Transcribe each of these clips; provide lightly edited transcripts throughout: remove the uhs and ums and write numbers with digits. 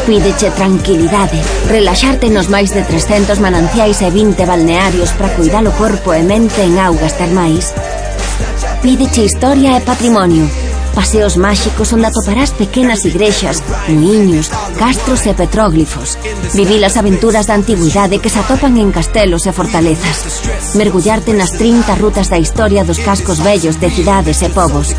Pídeche tranquilidade, relaxarte nos máis de 300 mananciais e 20 balnearios para cuidar o corpo e mente en augas termais. Pídeche historia e patrimonio, paseos máxicos onde atoparás pequenas igrexas, muiños, castros e petróglifos. Vivir as aventuras da antigüidade que se atopan en castelos e fortalezas. Mergullarte nas 30 rutas da historia dos cascos vellos de cidades e povos.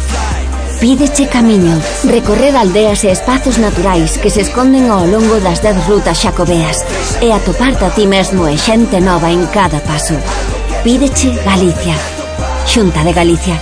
Pídeche camiño, recorrer aldeas e espazos naturais que se esconden ao longo das 10 rutas xacobeas e atoparte a ti mesmo e xente nova en cada paso. Pídeche Galicia. Xunta de Galicia.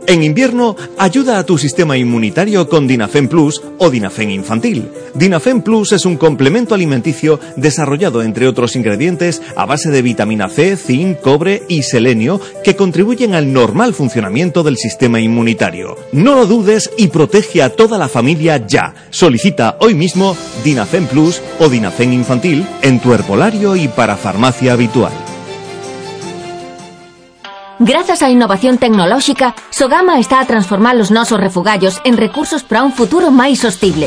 En invierno, ayuda a tu sistema inmunitario con Dinafen Plus o Dinafen Infantil. Dinafen Plus es un complemento alimenticio desarrollado, entre otros ingredientes, a base de vitamina C, zinc, cobre y selenio que contribuyen al normal funcionamiento del sistema inmunitario. No lo dudes y protege a toda la familia ya. Solicita hoy mismo Dinafen Plus o Dinafen Infantil en tu herbolario y para farmacia habitual. Grazas á innovación tecnolóxica, Sogama está a transformar os nosos refugallos en recursos para un futuro máis sostible.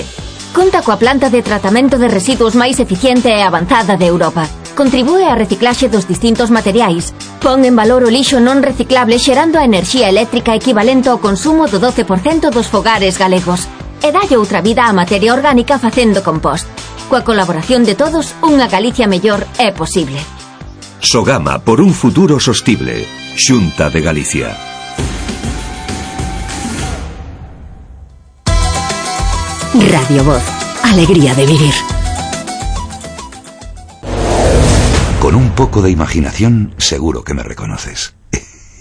Conta coa planta de tratamento de residuos máis eficiente e avanzada de Europa. Contribúe á reciclaxe dos distintos materiais. Pon en valor o lixo non reciclable xerando a enerxía eléctrica equivalente ao consumo do 12% dos fogares galegos. E dalle outra vida á materia orgánica facendo compost. Coa colaboración de todos, unha Galicia mellor é posible. Sogama por un futuro sostible. Xunta de Galicia. Radio Voz. Alegría de vivir. Con un poco de imaginación, seguro que me reconoces.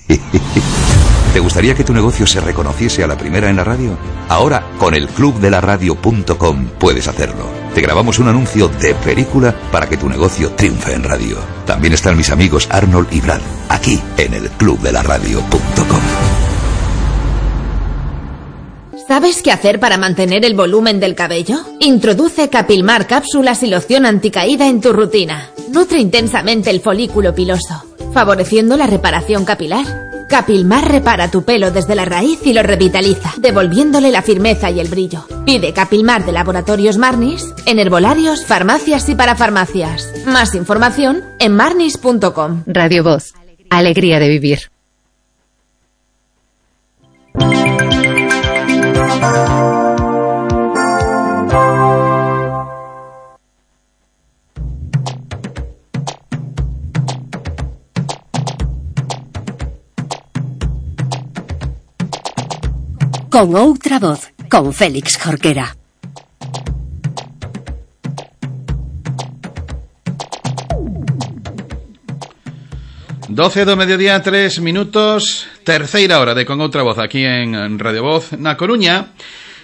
¿Te gustaría que tu negocio se reconociese a la primera en la radio? Ahora, con el clubdelaradio.com puedes hacerlo. Te grabamos un anuncio de película para que tu negocio triunfe en radio. También están mis amigos Arnold y Brad, aquí en el clubdelaradio.com. ¿Sabes qué hacer para mantener el volumen del cabello? Introduce Capilmar cápsulas y loción anticaída en tu rutina. Nutre intensamente el folículo piloso, favoreciendo la reparación capilar. Capilmar repara tu pelo desde la raíz y lo revitaliza, devolviéndole la firmeza y el brillo. Pide Capilmar de Laboratorios Marnis en herbolarios, farmacias y parafarmacias. Más información en marnis.com. Radio Voz. Alegría de vivir. Con outra voz, con Félix Jorquera. Doce do mediodía, 3 minutos, terceira hora de Con outra voz aquí en Radio Voz. Na Coruña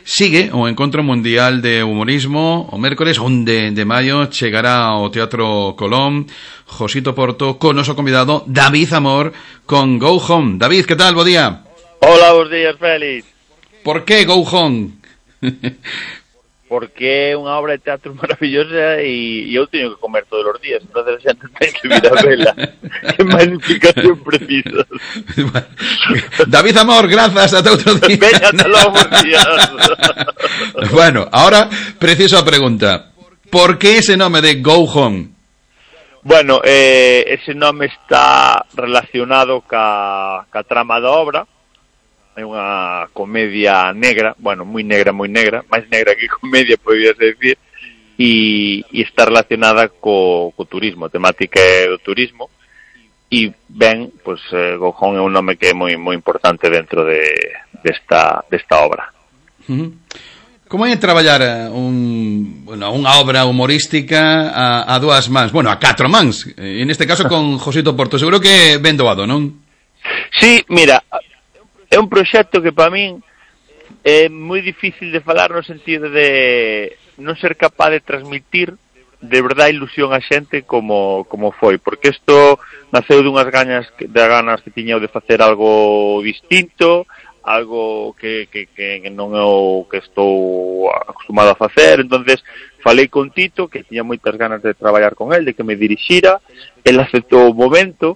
sigue o Encontro Mundial de Humorismo. O mércores 1 de maio chegará ao Teatro Colón Josito Porto con noso convidado David Amor con Go Home. David, que tal? Bo día. Hola, bons días, Félix. Por que Go Home? Porque é unha obra de teatro maravillosa e eu teño que comer todos os días, entonces a xente ten que vir a vela. Que máis explicación precisa. David Amor, grazas, ata outro día. Veña, ata logo, días. Bueno, ahora preciso a pregunta. Por que ese nome de Go Home? Bueno, ese nome está relacionado ca trama da obra. É unha comedia negra, bueno, moi negra, máis negra que comedia, podías decir, e está relacionada co turismo, a temática é do turismo, e ben, pues, Go Home é un nome que é moi importante dentro desta obra. Como é traballar unha obra humorística a dúas mans, bueno, a 4 mans, en este caso con Josito Porto, seguro que ben doado, non? Sí, mira, é un proxecto que para min é moi difícil de falar no sentido de non ser capaz de transmitir de verdade ilusión a xente como foi, porque isto naceu dunhas ganas que tiña de facer algo distinto, algo que non é o que estou acostumado a facer. Entonces falei con Tito, que tiña moitas ganas de traballar con el, de que me dirixira. El aceptou o momento,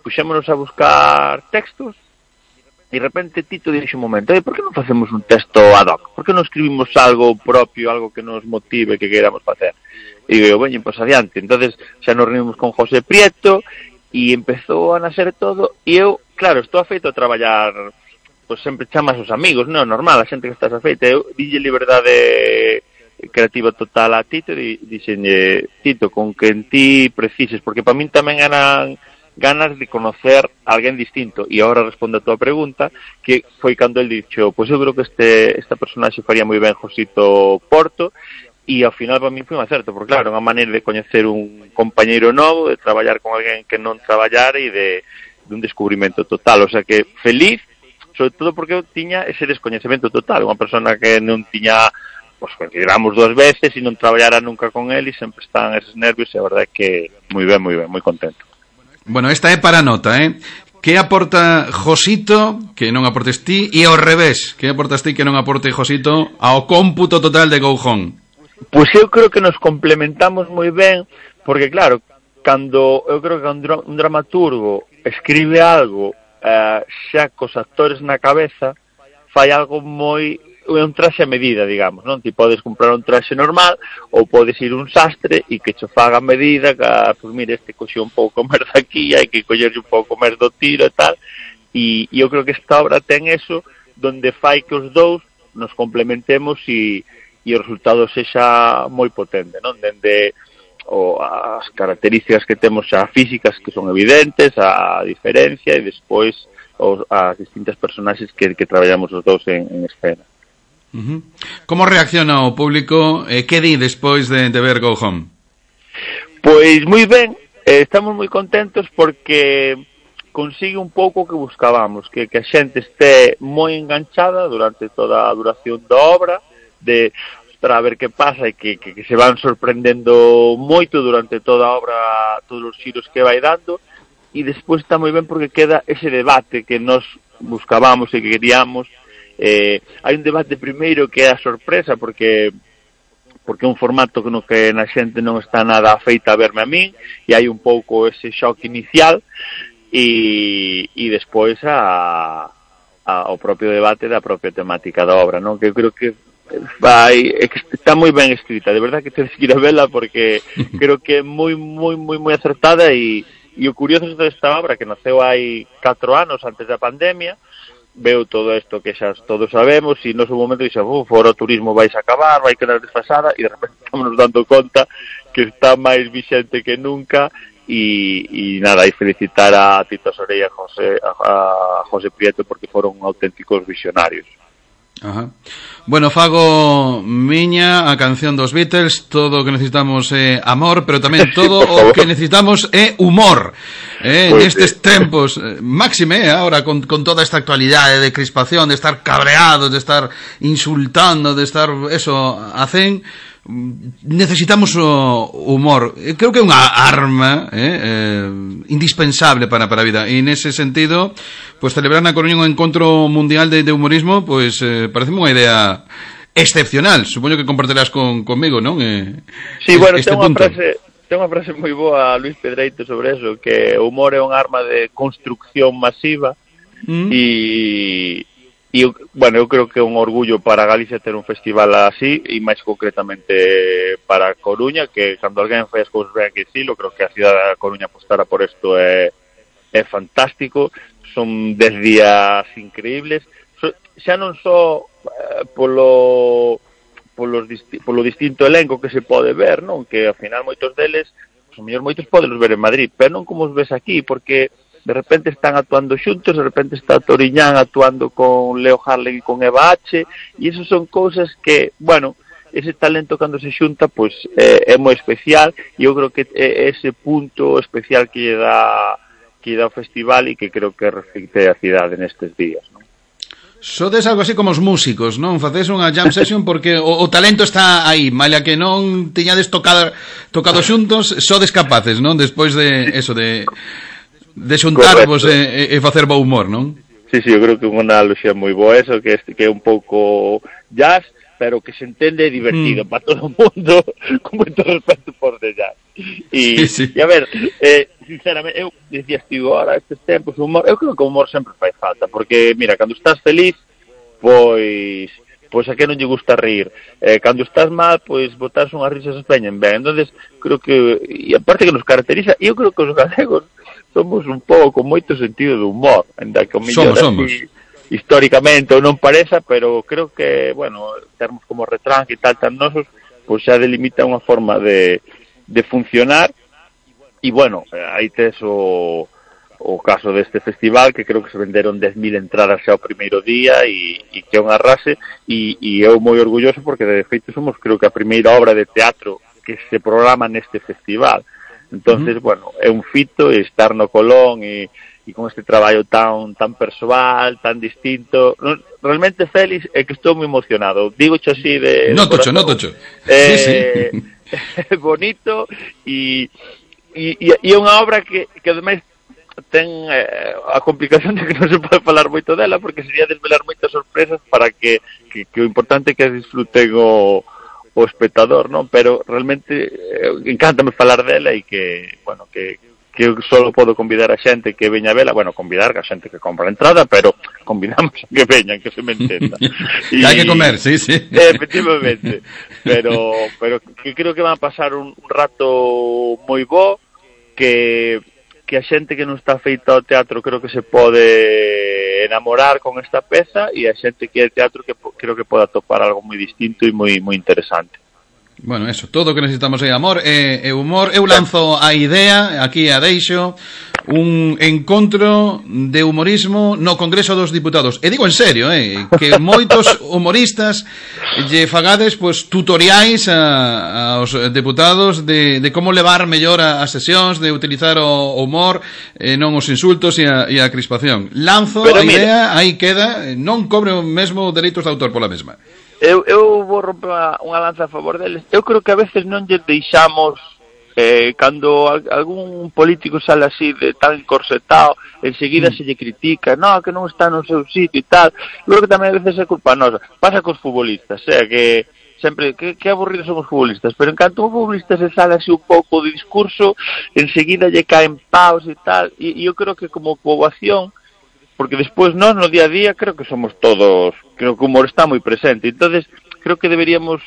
puxémonos a buscar textos de repente Tito dixo un momento, por que non facemos un texto ad hoc? Por que non escribimos algo propio, algo que nos motive, que queramos facer? E digo, veño, pois adiante. Entonces xa nos reunimos con José Prieto e empezou a nacer todo, e eu, claro, estou afeito a traballar, pois sempre chamas os amigos, non, normal, a xente que estás afeita. Eu dille liberdade creativa total a Tito e dixenlle, Tito, con que en ti precises, porque para min tamén eran ganas de conocer a alguén distinto. E agora respondo a tua pregunta, que foi cando el dixo, pois eu creo que esta personaxe faría moi ben Josito Porto, e ao final para mí foi un acerto, porque claro, unha maneira de coñecer un compañeiro novo, de traballar con alguén que non traballara e de un descubrimento total. O sea que feliz, sobre todo porque eu tiña ese descoñecemento total, unha persona que non tiña, pois consideramos 2 veces e non traballara nunca con él e sempre están eses nervios, e a verdade é que moi ben, moi contento. Bueno, esta é para nota, Que aporta Josito que non aportes ti, e ao revés, que aportas ti que non aporte Josito ao cómputo total de Go Home? Pois eu creo que nos complementamos moi ben, porque claro, eu creo que un dramaturgo escribe algo xa cos actores na cabeza, fai algo moi, un traxe a medida, digamos, non? Ti podes comprar un traxe normal ou podes ir un sastre e que cho faga a medida, que, pois mire, este coxeu un pouco máis daqui, hai que collerlle un pouco máis do tiro e tal, e eu creo que esta obra ten eso, donde fai que os dous nos complementemos e o resultado sexa moi potente, non? Dende as características que temos xa físicas, que son evidentes, a diferencia, e despois as distintas personaxes que traballamos os dous en escena. Como reacciona o público? Que di despois de ver Go Home? Pois moi ben, estamos moi contentos porque consigue un pouco o que buscábamos, que a xente este moi enganchada durante toda a duración da obra, para ver que pasa e que se van sorprendendo moito durante toda a obra, todos os xiros que vai dando, e despois está moi ben porque queda ese debate que nos buscábamos e que queríamos. Hai un debate primeiro que é a sorpresa, porque é un formato no que na xente non está nada afeita a verme a min, e hai un pouco ese shock inicial, e despois o propio debate da propia temática da obra, non? Que eu creo que está moi ben escrita, de verdad que tens que ir a vela, porque creo que é moi acertada, e o curioso desta obra, que naceu hai 4 anos antes da pandemia, veo todo isto que xa todos sabemos, e no seu momento dixe, fora o turismo vais a acabar, vai quedar desfasada, e de repente estamos nos dando conta que está máis vixente que nunca, e nada, e felicitar a Tito Sorey e a José Prieto, porque foron auténticos visionarios. Ajá. Bueno, fago miña a canción dos Beatles, todo o que necesitamos é amor, pero tamén todo o que necesitamos é humor, nestes tempos, máxime agora con toda esta actualidade de crispación, de estar cabreados, de estar insultando, de estar a cen. Necesitamos o humor. Creo que é unha arma indispensable para a vida, e nese sentido, pues celebrar na Coruña un encontro mundial de humorismo, pues pareceme unha idea excepcional. Supoño que compartirás conmigo, non? Sí, bueno, ten unha frase moi boa Luis Pedreito sobre eso, que o humor é unha arma de construcción masiva, e bueno, eu creo que é un orgullo para Galicia ter un festival así, e máis concretamente para Coruña, que cando alguén fai as cousas ben que dicilo, creo que a cidade da Coruña apostara por isto é fantástico. Son 10 días increíbles, xa non só polo distinto elenco que se pode ver, non? Que ao final moitos deles, os mellor moitos podelos ver en Madrid, pero non como os ves aquí, porque de repente están actuando xuntos, de repente está Toriñán actuando con Leo Harley e con Eva H, e esas son cousas que, bueno, ese talento cando se xunta, pois é moi especial, e eu creo que é ese punto especial que lle dá o festival, e que creo que reflicte a cidade nestes días, non? Sodes algo así como os músicos, non? Facedes unha jam session porque o talento está aí, malia que non tiñades tocado xuntos, sodes capaces, non? Despois de eso, de xuntarvos e facer bo humor, non? Sí, eu creo que é unha analoxía moi boa eso, que é un pouco jazz, pero que se entende divertido para todo o mundo, con moito respeto por dellas. E a ver, sinceramente, eu dicías ti agora, estes tempos, o humor, eu creo que o humor sempre fai falta, porque, mira, cando estás feliz, pois a que non lle gusta rir. Cando estás mal, pois botas unhas risas espeñen ben. Entonces, creo que, e aparte que nos caracteriza, eu creo que os galegos somos un pouco con moito sentido do humor, ainda que o mellor somos. Históricamente ou non pareza, pero creo que, bueno, termos como retranque e tal tan nosos, pois xa delimita unha forma de funcionar. E, bueno, aí tes o caso deste festival, que creo que se venderon 10.000 entradas xa o primeiro día e que é unha arrase, e eu moi orgulloso porque, de feito, somos, creo que, a primeira obra de teatro que se programa neste festival. Entonces, bueno, é un fito estar no Colón e con este traballo tan persoal, tan distinto. Realmente, Félix, é que estou moi emocionado. Digo xo así de... Notocho. Sí. Bonito e é unha obra que ademais ten a complicación de que non se pode falar moito dela, porque sería desvelar moitas sorpresas para que o importante é que disfruten o espectador, non? Pero realmente encántame falar dela e que, bueno, que eu só podo convidar a xente que veña a vela, bueno, convidar a xente que compra a entrada, pero convidamos a que veñan, que se me entenda. Hai que comer, sí. Efectivamente, pero que creo que van a pasar un rato moi bo, que a xente que non está feita ao teatro creo que se pode enamorar con esta peza, e a xente que é teatro que creo que pode atopar algo moi distinto e moi interesante. Bueno, eso, todo o que necesitamos é amor e humor. Eu lanzo a idea, aquí a deixo, un encontro de humorismo no Congreso dos Diputados. E digo en serio, que moitos humoristas lle fagades pues, tutoriais aos deputados de como levar mellor as sesións, de utilizar o humor, non os insultos e a crispación. Lanzo a idea, aí queda, non cobre o mesmo dereitos de autor pola mesma. Eu vou romper unha lanza a favor deles. Eu creo que a veces non lle deixamos, cando algún político sale así de tan encorsetado, enseguida se lle critica, no, que non está no seu sitio e tal. Eu creo que tamén a veces é culpa nosa. Pasa cos futbolistas, que sempre, que aburridos son os futbolistas, pero en canto un futbolista se sale así un pouco de discurso, enseguida lle caen paus e tal, e eu creo que como poboación, porque despois nós no día a día creo que somos todos, creo que o humor está moi presente, entonces creo que deberíamos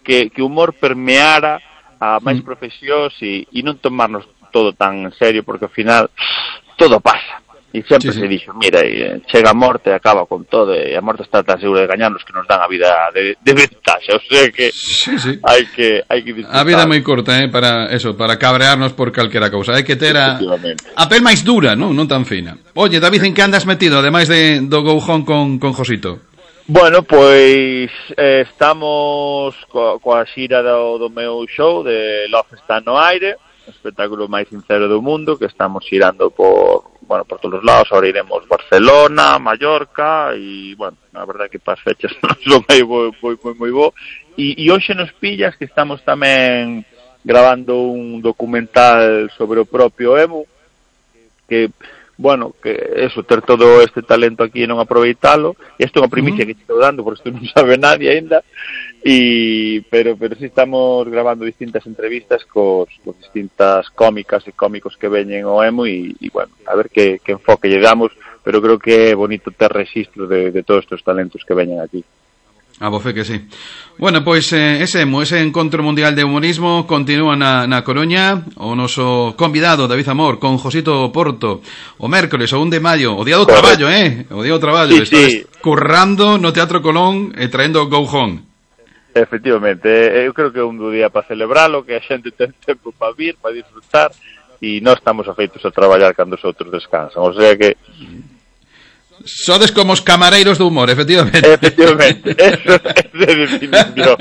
que o humor permeara a máis profesións e non tomarnos todo tan en serio, porque ao final todo pasa, e sempre se dixo, mira, chega a morte, acaba con todo, e a morte está tan segura de gañarnos que nos dan a vida de ventaxa, o sea que hai que disfrutar. A vida é moi corta, para eso, para cabrearnos por calquera cousa, hai que ter a pel máis dura, non tan fina. Oye, David, en que andas metido, ademais do Go Home con Josito? Bueno, pois estamos coa xira do meu show de Love está no aire, o espectáculo máis sincero do mundo, que estamos xirando por todos os lados. Ahora iremos Barcelona, Mallorca, e, bueno, a verdade que para as fechas non son aí moi bo. E hoxe nos pillas que estamos tamén grabando un documental sobre o propio Emu, que, bueno, que eso, ter todo este talento aquí e non aproveitalo. Isto é unha primicia que estou dando, porque isto non sabe nadie ainda. Pero sí estamos grabando distintas entrevistas cos distintas cómicas e cómicos que veñen ao Emu e bueno, a ver que enfoque lle damos, pero creo que é bonito ter registro de todos estes talentos que veñen aquí. A bofe que sí. Bueno, pois ese encontro mundial de humorismo continúa na Coruña. O noso convidado, David Amor, con Josito Porto, o mércoles, o 1 de maio, o día do traballo, o día do traballo. Estás currando no Teatro Colón e traendo Go Home. Efectivamente, eu creo que é un día para celebralo, que a xente ten tempo para vir, para disfrutar, e nós estamos afeitos a traballar cando os outros descansan, o sea que... Sodes como os camareiros do humor, efectivamente. Efectivamente, eso é de definición.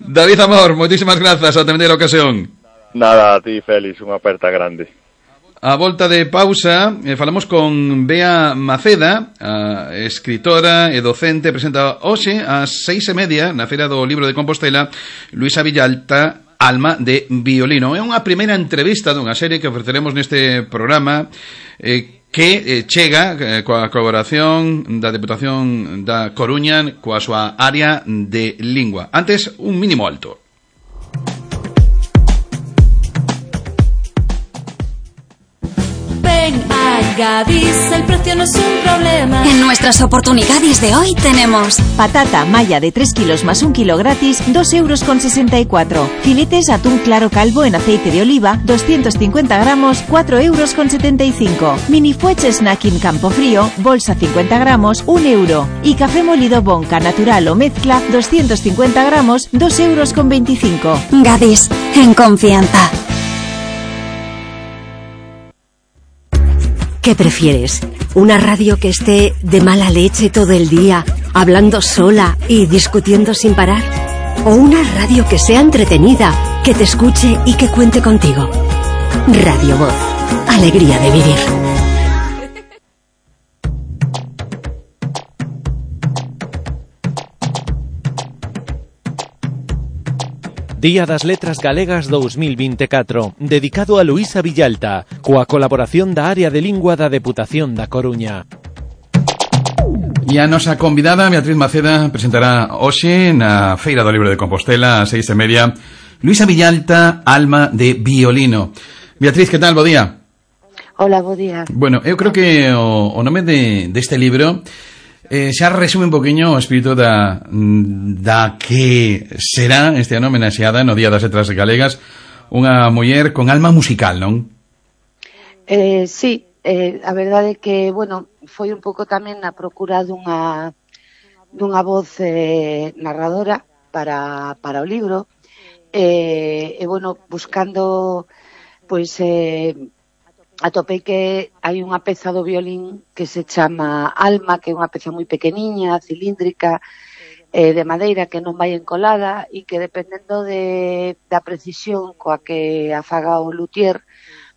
David Amor, moitísimas grazas, a tener a ocasión. Nada, a ti, Félix, unha aperta grande. A volta de pausa, falamos con Bea Maceda, a escritora e docente, presenta hoxe ás 6:30 na Feira do Libro de Compostela, Luisa Villalta, Alma de Violino. É unha primeira entrevista dunha serie que ofreceremos neste programa, que chega coa colaboración da Deputación da Coruña coa súa área de lingua. Antes, un mínimo alto. Ven a Gadis, el precio no es un problema. En nuestras oportunidades de hoy tenemos patata malla de 3 kilos más 1 kilo gratis, 2,64 €. Filetes atún claro calvo en aceite de oliva, 250 gramos, 4,75 €. Mini fuets snacking campo frío, bolsa 50 gramos, 1 €. Y café molido Bonca natural o mezcla, 250 gramos, 2,25 €. Gadis, en confianza. ¿Qué prefieres? ¿Una radio que esté de mala leche todo el día, hablando sola y discutiendo sin parar? ¿O una radio que sea entretenida, que te escuche y que cuente contigo? Radio Voz. Alegría de vivir. Día das Letras Galegas 2024, dedicado a Luísa Villalta, coa colaboración da área de lingua da Deputación da Coruña. E a nosa convidada, Beatriz Maceda, presentará hoxe na Feira do Libro de Compostela a 6:30, Luísa Villalta, Alma de Violino. Beatriz, que tal? Bo día. Hola, bo día. Bueno, eu creo que o nome deste libro xa resume un poquinho o espírito da que será este ano homenaxeada no Día das Letras Galegas, unha muller con alma musical, non? Sí, a verdade é que, bueno, foi un pouco tamén a procura dunha voz narradora para o libro, e bueno, buscando, pois, atopei que hai unha peza do violín que se chama Alma, que é unha peza moi pequeniña, cilíndrica, de madeira, que non vai encolada e que dependendo da precisión coa que afaga o luthier,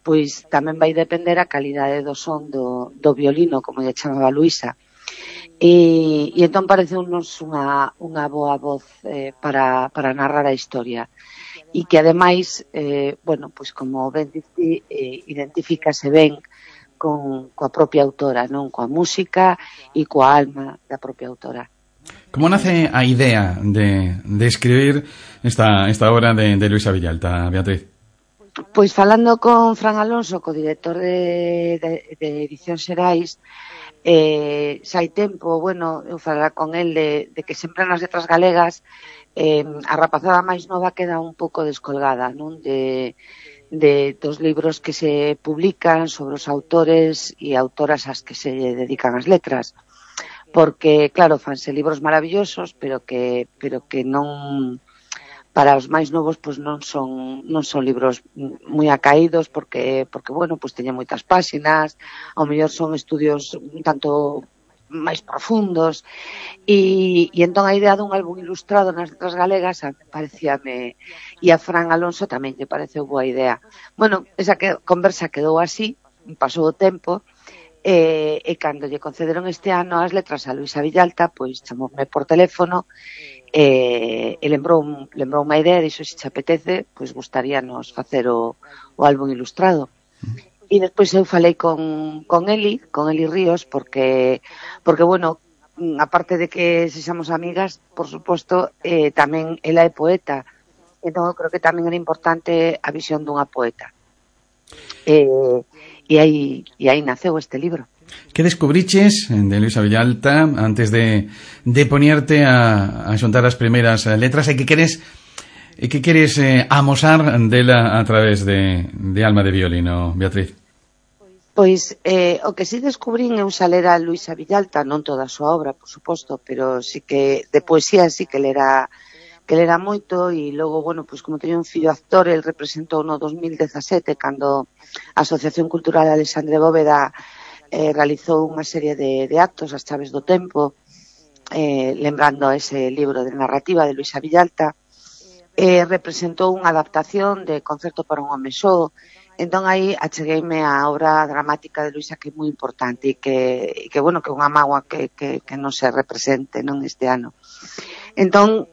pois tamén vai depender a calidade do son do violino, como lle chamaba Luísa. E entón pareceunos unha boa voz para narrar a historia. E que ademais, bueno, pois como ben dicir, identifícase ben coa propia autora, non? Coa música e coa alma da propia autora. Como nace a idea de escribir esta obra de Luísa Villalta, Beatriz? Pois falando con Fran Alonso, co director de Edición Xerais, xa hai tempo, bueno, eu falara con el de que sempre nas letras galegas a rapazada máis nova queda un pouco descolgada, non? Dos libros que se publican sobre os autores e autoras ás que se dedican as letras, porque claro, fanse libros maravillosos, pero que non, para os máis novos, pois non son libros moi acaídos, porque bueno, pois teñen moitas páxinas, ao mellor son estudios un tanto máis profundos, e entón a idea dun álbum ilustrado nas letras galegas parecíame, e a Fran Alonso tamén lle pareceu boa idea. Bueno, esa conversa quedou así, pasou o tempo, e cando lle concederon este ano as letras a Luísa Villalta, pois chamoume por teléfono, e lembrou unha idea, dixo, se te apetece, pois gustaríanos facer o álbum ilustrado. E despois eu falei con Eli Ríos, porque bueno, aparte de que sexamos amigas, por suposto, tamén ela é poeta, entón eu creo que tamén era importante a visión dunha poeta. E aí naceu este libro. Que descubriches de Luísa Villalta antes de ponerte a xuntar as primeiras letras, e que queres amosar dela a través de Alma de Violino, Beatriz? Pois o que si descubrín eu xa lera a Luísa Villalta, non toda a súa obra, por suposto, pero sí que de poesía sí que lera moito, e logo, bueno, pois como teño un fillo actor, el representou no 2017 cando a Asociación Cultural Alexandre Bóveda realizou unha serie de actos, As Chaves do Tempo, lembrando ese libro de narrativa de Luísa Villalta, representou unha adaptación de Concerto para un home só. Entón aí achegueime a obra dramática de Luísa, que é moi importante, e que bueno, que é unha mágoa que non se represente, non, este ano. Entón,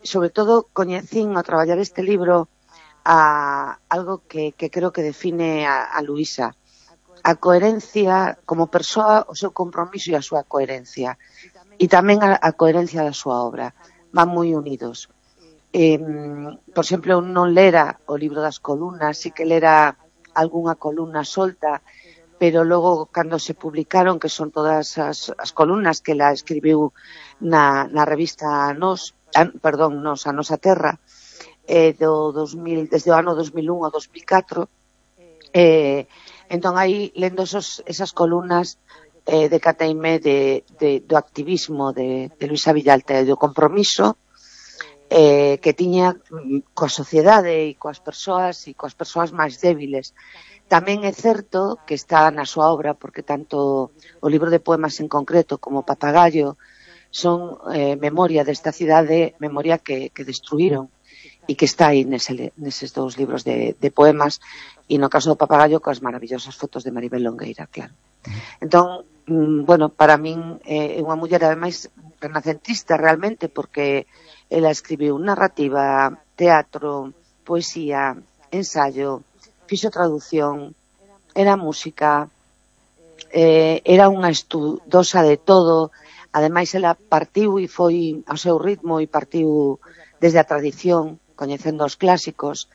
sobre todo, coñecín ao traballar este libro a algo que creo que define a Luísa, a coherencia como persoa, o seu compromiso e a súa coherencia, e tamén a coherencia da súa obra, van moi unidos. Por exemplo, eu non lera o libro das columnas, sí que lera algunha columna solta, pero logo cando se publicaron, que son todas as columnas que ela escribiu na revista Nos, a Nosa Terra, desde o ano 2001 ao 2004, entón aí lendo esas columnas decateime do activismo de Luisa Villalta e do compromiso que tiña coa sociedade e coas persoas máis débiles. Tamén é certo que está na súa obra, porque tanto o libro de poemas en concreto como Papagayo son memoria desta cidade, memoria que destruíron, e que está aí neses dous libros de poemas, e no caso do Papagayo coas maravillosas fotos de Maribel Longueira, claro. Entón, bueno, para min é unha muller ademais renacentista realmente, porque ela escribiu narrativa, teatro, poesía, ensayo, fixo traducción, era música, era unha estudosa de todo. Ademais, ela partiu e foi ao seu ritmo e partiu desde a tradición, coñecendo os clásicos.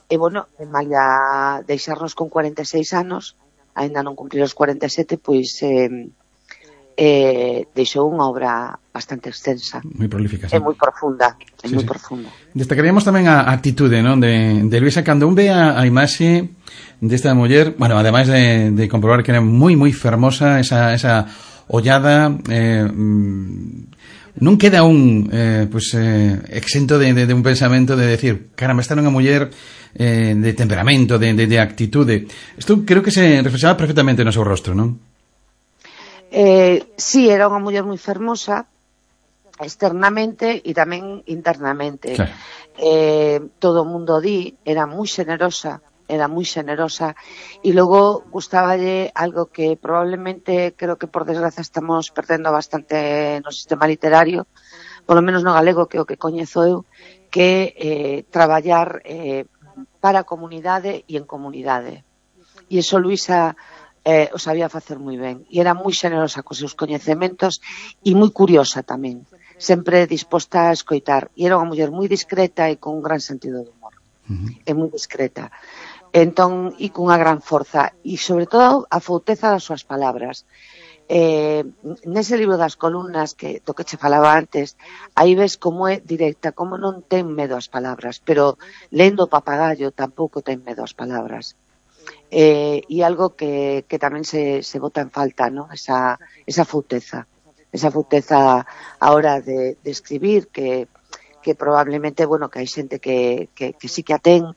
Bueno, malia deixarnos con 46 anos, aínda non cumprir os 47, pois deixou unha obra bastante extensa, moi prolífica, é moi profunda, moi profunda. Destacaríamos tamén a actitude, non, de Luisa cando un ve a imaxe desta muller, bueno, ademais de comprobar que era moi fermosa, esa ollada, non queda un exento de un pensamento de decir, caramba, esta era unha muller de temperamento, de actitude. Isto creo que se reflexaba perfectamente no seu rostro, non? Sí, era unha muller moi fermosa externamente e tamén internamente. Claro. Todo o mundo di, era moi generosa e logo gustáballe algo que probablemente creo que por desgraza estamos perdendo bastante no sistema literario, polo menos no galego, que é o que coñezo eu, que traballar para a comunidade e en comunidade. E iso Luisa o sabía facer moi ben, e era moi xenerosa cos seus coñecementos e moi curiosa tamén, sempre disposta a escoitar, e era unha muller moi discreta e con un gran sentido de humor. É moi discreta, entón, e cunha gran forza, e sobre todo a fouteza das súas palabras. Nese libro das columnas do que che falaba antes, aí ves como é directa, como non ten medo ás palabras, pero lendo Papagayo tampouco ten medo ás palabras. E algo que tamén se bota en falta, ¿no? Esa fouteza a hora de escribir, que probablemente, bueno, que hai xente que sí que a ten,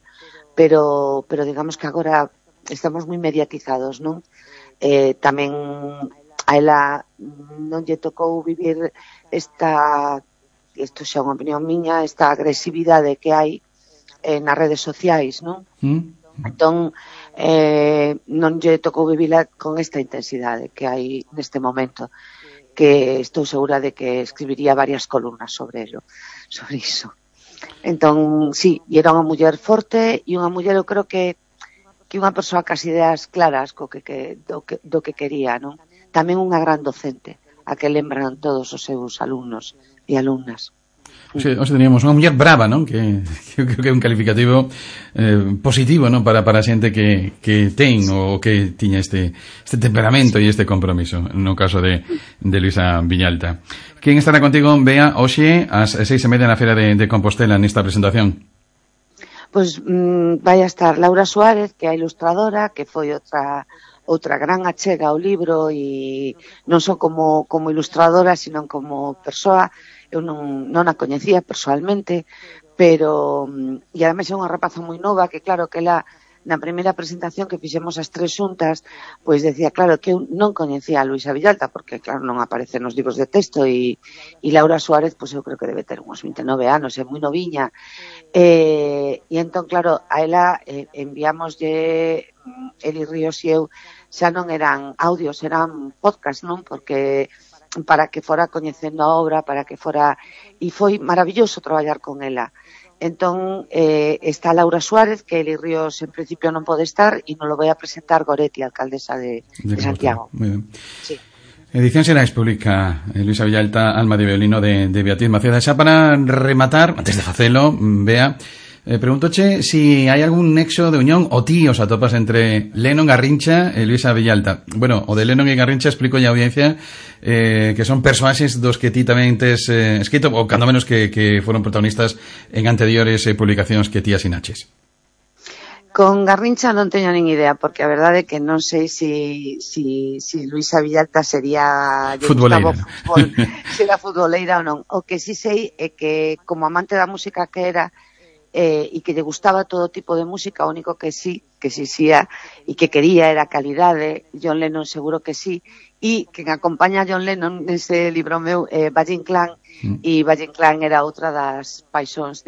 pero digamos que agora estamos moi mediatizados, non? Tamén a ela non lle tocou vivir isto xa é unha opinión miña, esta agresividade que hai nas redes sociais, non? Entón, non lle tocou vivila con esta intensidade que hai neste momento, que estou segura de que escribiría varias columnas sobre iso. Entón, sí, e era unha muller forte e unha muller, eu creo que unha persoa cas ideas claras do que quería, non? Tamén unha gran docente, a que lembran todos os seus alumnos e alumnas. Hoxe teníamos unha muller brava, non? Que creo que é un calificativo positivo, non? Para a xente que ten ou que tiña este temperamento e este compromiso, no caso de Luisa Villalta. Quen estará contigo, Bea, hoxe ás 6:30 na Feira de Compostela nesta presentación? Pois vai a estar Laura Suárez, que é a ilustradora, que foi outra gran achega ao libro, e non só como ilustradora, sino como persoa. Eu non a coñecía persoalmente, pero e ademais é unha rapaza moi nova, que claro que ela na primeira presentación que fixemos as tres xuntas, pois decía, claro, que eu non coñecía a Luisa Villalta, porque claro, non aparece nos libros de texto, e Laura Suárez, pois eu creo que debe ter uns 29 anos, é moi noviña, e entón, claro, a ela enviámoslle, Eli Ríos e eu, xa non eran audios, eran podcast, non? Porque para que fora coñecendo a obra, para que fora, e foi maravilloso traballar con ela. Entón, está Laura Suárez, que Eli Ríos en principio non pode estar, e nos lo vai a presentar Goretti, alcaldesa de Santiago. Muy bien. Sí. Edición Xerais publica Luisa Villalta, Alma de violino de Beatriz Maceda. Xa para rematar, antes de facelo, Bea, pregúntoche si hai algún nexo de unión o ti os atopas entre Lennon, Garrincha e Luisa Villalta. Bueno, o de Lennon e Garrincha explico a audiencia que son persoaxes dos que ti tamén tes escrito, ou cando menos que foron protagonistas en anteriores publicacións que ti asinaches. Con Garrincha non teño nin idea, porque a verdade é que non sei si Luisa Villalta sería futboleira, se era futboleira ou non. O que sí sei é que como amante da música que era e que lle gustaba todo tipo de música, o único que sí e que quería era calidade. John Lennon seguro que sí, e quen acompaña a John Lennon nese libro meu Valle Inclán, e Valle Inclán era outra das paixóns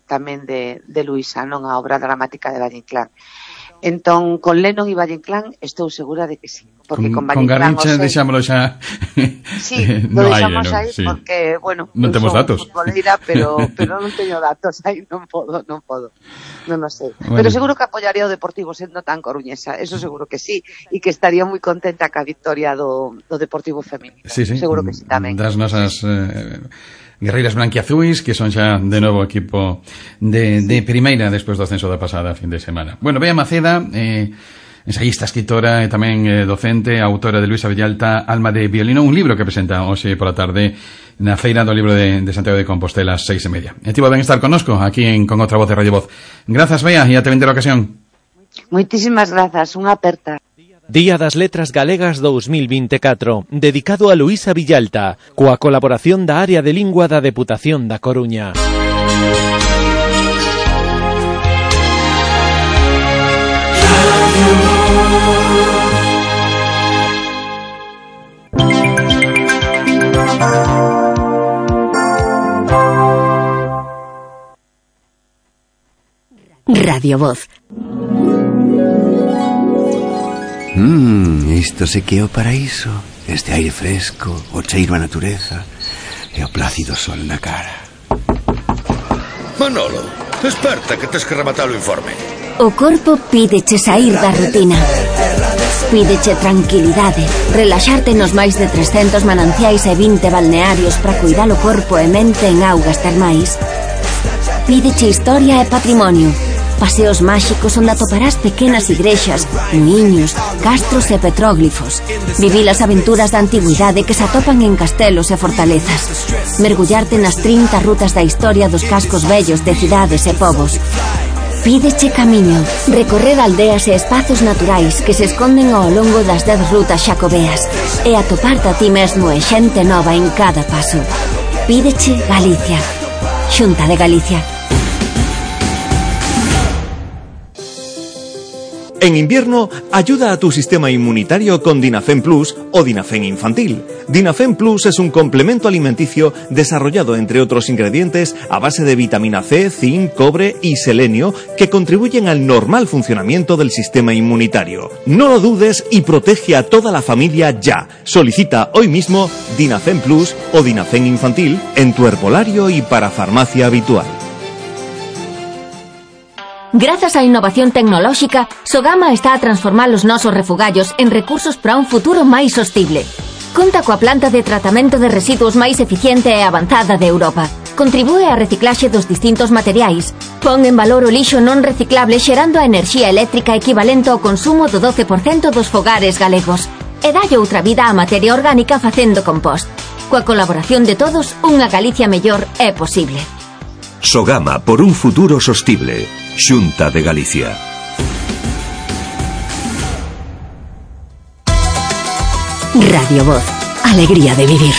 tamén de Luisa, non a obra dramática de Valle Inclán. Entón, con Lennon e Valle Inclán estou segura de que sí, porque con Valle Inclán Garrincha deixámolo xa. Sí, lo deixamos aí sí. Porque, bueno, non temos datos. Futboleira, pero non teño datos aí, non podo. Non o sei. Bueno. Pero seguro que apoyaría o Deportivo sendo tan coruñesa, eso seguro que sí, e que estaría moi contenta ca victoria do Deportivo femenino. Sí. Seguro que sí tamén. Das nosas guerreiras blanquiazuis, que son xa de novo equipo de primeira despois do ascenso da pasada fin de semana. Bueno, Bea Maceda, ensayista, escritora e tamén docente, autora de Luisa Villalta, Alma de violino, un libro que presenta hoxe pola tarde na Feira do Libro de Santiago de Compostela, 6:30. E tivo ben estar connosco aquí Con Outra Voz de Radio Voz. Grazas, Bea, e até vender a ocasión. Moitísimas grazas, unha aperta. Día das Letras Galegas 2024, dedicado a Luisa Villalta, coa colaboración da Área de Lingua da Deputación da Coruña. Radio Voz. Isto se que é o paraíso. Este aire fresco, o cheiro a natureza e o plácido sol na cara. Manolo, desperta que tes que rematar o informe. O corpo pídeche sair da rutina. Pídeche tranquilidade, relaxarte nos máis de 300 mananciais e 20 balnearios para cuidar o corpo e mente en augas termais. Pídeche historia e patrimonio. Paseos máxicos onde atoparás pequenas igrexas, muiños, castros e petróglifos. Vivir as aventuras da antigüidade que se atopan en castelos e fortalezas. Mergullarte nas 30 rutas da historia dos cascos vellos de cidades e povos. Pídeche camiño, recorrer aldeas e espazos naturais que se esconden ao longo das 10 rutas xacobeas e atoparte a ti mesmo e xente nova en cada paso. Pídeche Galicia. Xunta de Galicia. En invierno, ayuda a tu sistema inmunitario con Dinafen Plus o Dinafen Infantil. Dinafen Plus es un complemento alimenticio desarrollado, entre otros ingredientes, a base de vitamina C, zinc, cobre y selenio que contribuyen al normal funcionamiento del sistema inmunitario. No lo dudes y protege a toda la familia ya. Solicita hoy mismo Dinafen Plus o Dinafen Infantil en tu herbolario y para farmacia habitual. Grazas á innovación tecnolóxica, Sogama está a transformar os nosos refugallos en recursos para un futuro máis sostible. Conta coa planta de tratamento de residuos máis eficiente e avanzada de Europa. Contribúe á reciclaxe dos distintos materiais. Pon en valor o lixo non reciclable xerando a enerxía eléctrica equivalente ao consumo do 12% dos fogares galegos. E dalle outra vida á materia orgánica facendo compost. Coa colaboración de todos, unha Galicia mellor é posible. Sogama por un futuro sostible. Xunta de Galicia. Radio Voz. Alegría de vivir.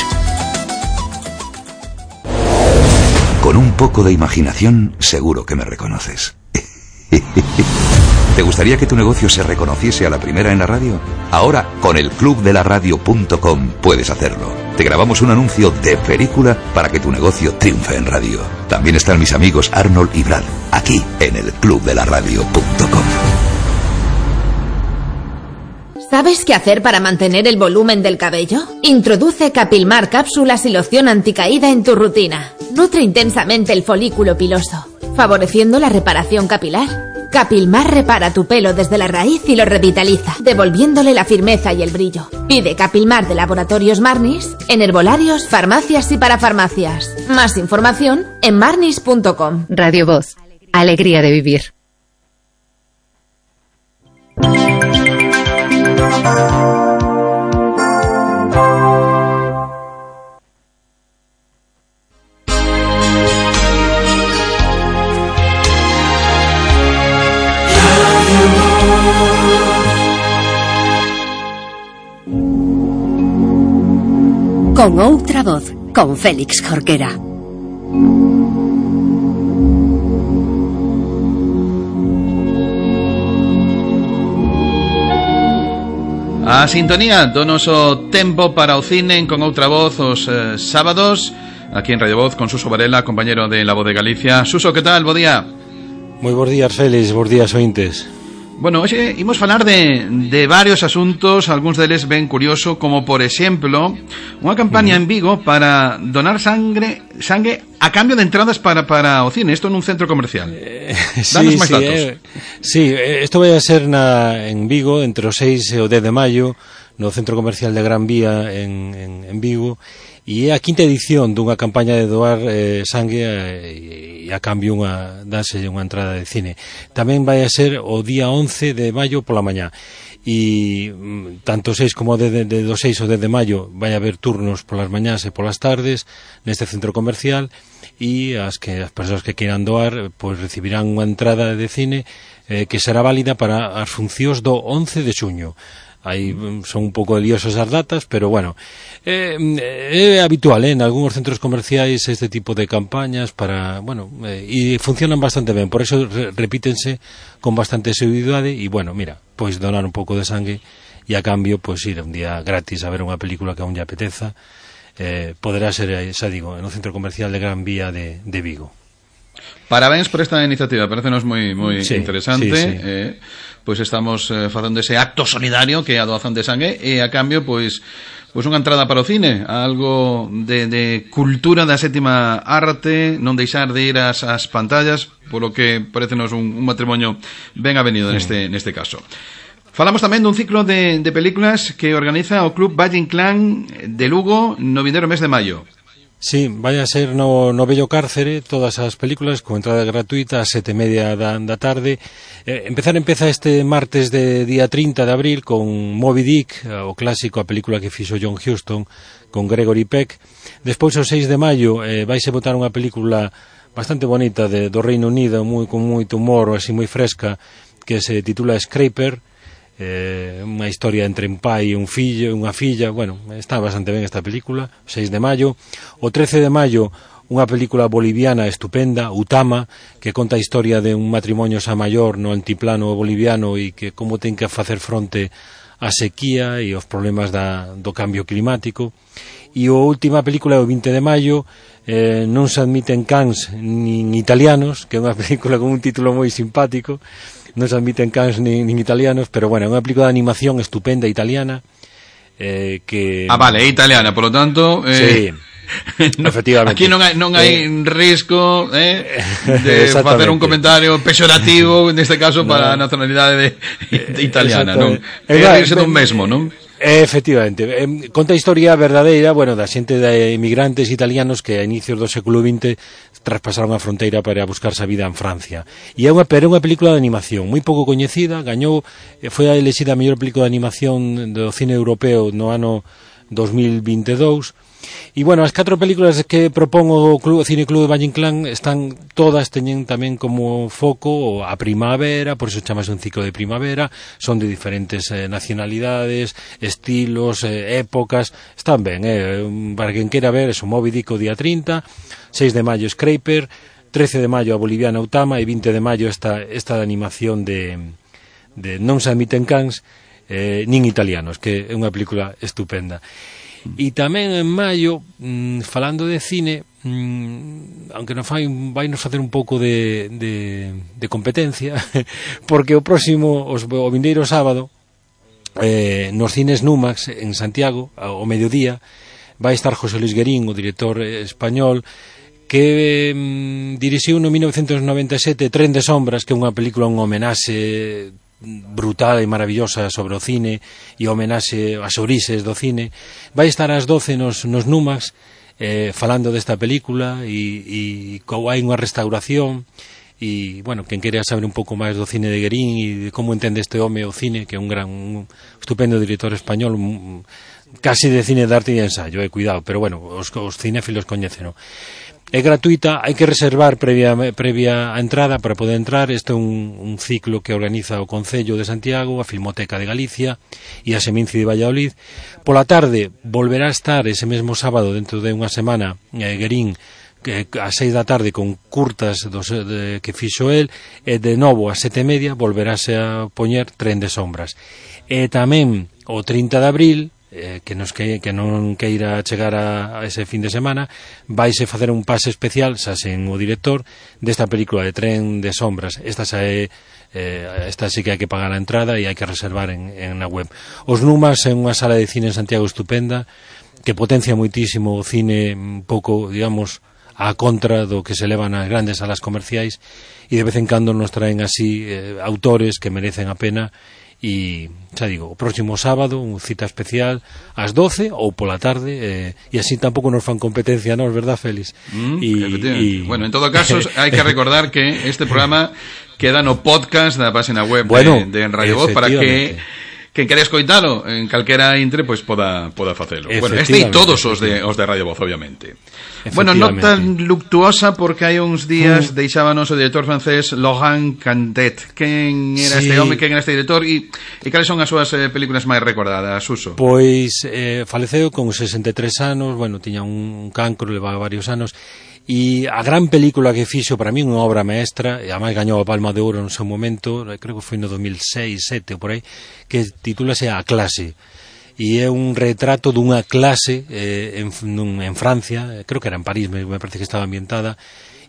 Con un poco de imaginación, seguro que me reconoces. ¿Te gustaría que tu negocio se reconociese a la primera en la radio? Ahora, con el clubdelaradio.com puedes hacerlo. Te grabamos un anuncio de película para que tu negocio triunfe en radio. También están mis amigos Arnold y Brad, aquí en el clubdelaradio.com. ¿Sabes qué hacer para mantener el volumen del cabello? Introduce Capilmar cápsulas y loción anticaída en tu rutina. Nutre intensamente el folículo piloso. favoreciendo la reparación capilar. Capilmar repara tu pelo desde la raíz y lo revitaliza, devolviéndole la firmeza y el brillo. Pide Capilmar de Laboratorios Marnis en herbolarios, farmacias y parafarmacias. Más información en marnis.com. Radio Voz. Alegría de vivir. Con outra voz, con Félix Jorquera. A sintonía do noso tempo para o cine con outra voz os sábados aquí en Radio Voz con Suso Varela, compañero de La Voz de Galicia. Suso, que tal? Bo día. Moi bons días, Félix, bons días, ointes. Bueno, hoxe imos falar de varios asuntos, algúns deles ben curioso, como por exemplo, unha campaña en Vigo para donar sangue a cambio de entradas para o cine, isto nun centro comercial. Danos máis datos. Sí, isto vai a ser en Vigo entre o 6 e o 10 de maio, no centro comercial de Gran Vía en Vigo, e é a quinta edición dunha campaña de doar sangue e a cambio dáse unha entrada de cine. Tamén vai a ser o día 11 de maio pola mañá, e tanto 6 como do 6 ao 10 de maio vai haber turnos polas mañás e polas tardes neste centro comercial, e as persoas que queiran doar pois recibirán unha entrada de cine que será válida para as funcións do 11 de xuño. Aí son un pouco liosas as datas, pero bueno, é habitual en algúns centros comerciais este tipo de campañas para, bueno, e funcionan bastante ben, por eso repítense con bastante seguridade. E bueno, mira, pois donar un pouco de sangue e a cambio pois ir un día gratis a ver unha película que aún lle apeteza, poderá ser, xa digo, no centro comercial de Gran Vía de Vigo. Parabéns por esta iniciativa, parecenos moi interesante. Sí. Pois estamos facendo ese acto solidario que é a doación de sangue, e a cambio pois unha entrada para o cine, algo de cultura da sétima arte, non deixar de ir ás pantallas, polo que parecenos un matrimonio ben avenido neste caso. Falamos tamén dun ciclo de películas que organiza o Club Valle Inclán de Lugo no vindeiro mes de maio. Sí, vai a ser no Bello Cárcere, todas as películas con entrada gratuita a 7:30 da tarde. Empeza este martes de día 30 de abril con Moby Dick, o clásico, a película que fixo John Huston con Gregory Peck. Despois o 6 de maio vaise botar unha película bastante bonita do Reino Unido, con moito humor, así moi fresca, que se titula Scraper. Unha historia entre un pai e unha filla. Bueno, está bastante ben esta película. 6 de maio. O 13 de maio unha película boliviana estupenda, Utama, que conta a historia de un matrimonio xa maior no altiplano boliviano e que como ten que facer fronte á sequía e aos problemas do cambio climático. E a última película é o 20 de maio, Non se admiten cans nin italianos, que é unha película con un título moi simpático. Non se admiten cans nin italianos, pero bueno, é unha película de animación estupenda italiana, que... vale, é italiana, por lo tanto... Sí, efectivamente. Aquí non hai risco de facer un comentario pexorativo, neste caso, para a nacionalidade italiana, non? É rirse dun mesmo, non? Efectivamente, conta a historia verdadeira, bueno, da xente de inmigrantes italianos que a inicios do século XX traspasaron a fronteira para buscarse a vida en Francia. E é unha película de animación moi pouco coñecida, foi elexida a mellor película de animación do cine europeo no ano 2022. E, bueno, as 4 películas que propón o Cine Club de Valle Inclán teñen tamén como foco a primavera, por iso chamase un ciclo de primavera, son de diferentes nacionalidades, estilos, épocas, están ben, para quen queira ver, eso, Moby Dick o día 30, 6 de maio Scraper, 13 de maio a boliviana Utama e 20 de maio esta de animación de Non se admiten cans nin italianos, que é unha película estupenda. E tamén en maio, falando de cine, aunque vai nos facer un pouco de competencia, porque o vindeiro sábado, nos cines Numax en Santiago, ao mediodía, vai estar José Luis Guerín, o director español, que dirixiu no 1997 Tren de Sombras, que é unha película, un homenaxe brutal e maravillosa sobre o cine e homenaxe ás orixes do cine. Vai estar ás 12 nos Numax falando desta película e hai unha restauración e, bueno, quen queira saber un pouco máis do cine de Guerín e de como entende este home o cine, que é un estupendo director español, casi de cine de arte e de ensayo, cuidado, pero bueno, os cinéfilos coñéceno. É gratuita, hai que reservar previa a entrada para poder entrar. Este é un ciclo que organiza o Concello de Santiago, a Filmoteca de Galicia e a Seminci de Valladolid. Pola tarde volverá a estar ese mesmo sábado, dentro de unha semana, Guerín, a 6 da tarde, con curtas que fixo el, e de novo a 7:30 volverase a poñer Tren de Sombras. E tamén o 30 de abril, que non queira chegar a ese fin de semana, vaise facer un pase especial, xa sen o director, desta película de Tren de Sombras. Esta sí que hai que pagar a entrada e hai que reservar en na web. Os Numas é unha sala de cine en Santiago estupenda, que potencia moitísimo o cine un pouco, digamos, a contra do que se leva nas grandes salas comerciais, e de vez en cando nos traen así autores que merecen a pena. E, xa digo, o próximo sábado unha cita especial ás 12 ou pola tarde, e así tampouco nos fan competencia, non, verdad, Félix? Bueno, en todo caso, hai que recordar que este programa queda no podcast da página web de Radio Voz, para que quen quere escoitalo en calquera intre, pois poda facelo. Bueno, este e todos os de Radio Voz, obviamente. Bueno, non tan luctuosa, porque hai uns días deixábanos o director francés Laurent Cantet. Quen era este home, quen era este director, e cales son as súas películas máis recordadas, Suso? Pois faleceu con 63 anos, bueno, tiña un cancro, levaba varios anos, e a gran película que fixo, para mí, unha obra maestra, e además gañou a Palma de Ouro no seu momento, creo que foi no 2006-2007 ou por aí, que titúlase A Clase, e é un retrato dunha clase en Francia, creo que era en París, me parece que estaba ambientada,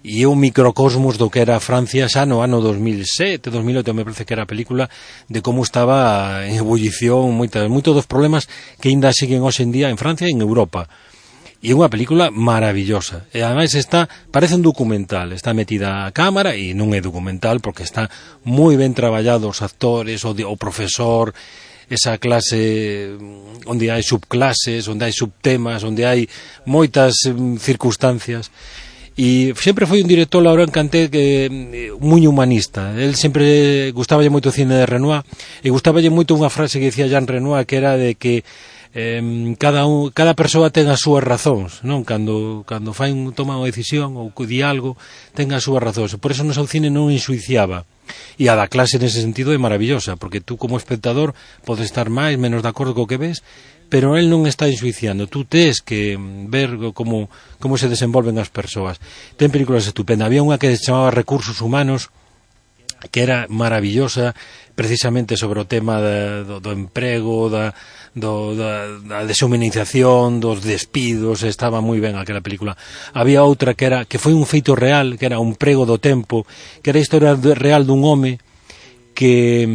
e é un microcosmos do que era Francia xa no ano 2007, 2008, me parece que era a película, de como estaba en ebullición moitos dos problemas que ainda siguen hoxe en día en Francia e en Europa. E é unha película maravillosa, e ademais parece un documental, está metida a cámara, e non é documental porque está moi ben traballado os actores, o profesor, esa clase onde hai subclases, onde hai subtemas, onde hai moitas circunstancias. E sempre foi un director, Laurent Cantet, moi humanista. El sempre gustaballe moito o cine de Renoir, e gustaballe moito unha frase que dicía Jean Renoir, que era de que cada persoa ten as súas razóns, non? Cando toma unha decisión ou di algo, ten as súas razóns. Por eso no seu cine non enxuiciaba. E a da Clase nese sentido é maravillosa, porque tú como espectador podes estar máis, menos de acordo co que ves, pero el non está enxuiciando. Tú tes que ver como se desenvolven as persoas. Ten películas estupendas. Había unha que se chamaba Recursos Humanos, que era maravillosa, precisamente sobre o tema do emprego, da deshumanización, dos despidos. Estaba moi ben aquela película. Había outra que foi un feito real, que era Un prego do tempo, que era a historia real dun home que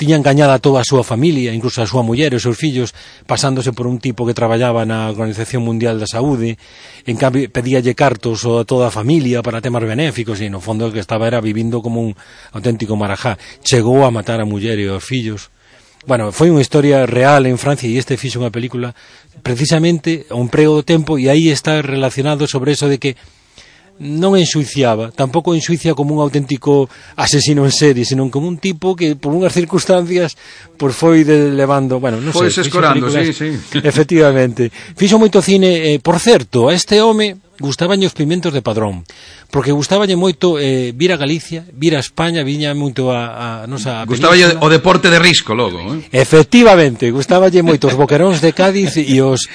tiña engañada a toda a súa familia, incluso a súa muller e os seus fillos, pasándose por un tipo que traballaba na Organización Mundial da Saúde. En cambio pedíalle cartos a toda a familia para temas benéficos, e no fondo o que estaba era vivindo como un auténtico marajá. Chegou a matar a muller e aos fillos. Bueno, foi unha historia real en Francia, e este fixo unha película precisamente Un prego do tempo, e aí está relacionado sobre eso de que non enxuiciaba, tampouco enxuicia como un auténtico asesino en serie, senón como un tipo que por unhas circunstancias foi levando, bueno, non sei, escorando, sí. Efectivamente. Fixo moito cine, por certo, a este home gustabanlle os Pimientos de Padrón, porque gustaballe moito vir a Galicia, vir a España, viña moito a nosa gustaballe o deporte de risco logo, Efectivamente, gustaballe moito os boqueróns de Cádiz e os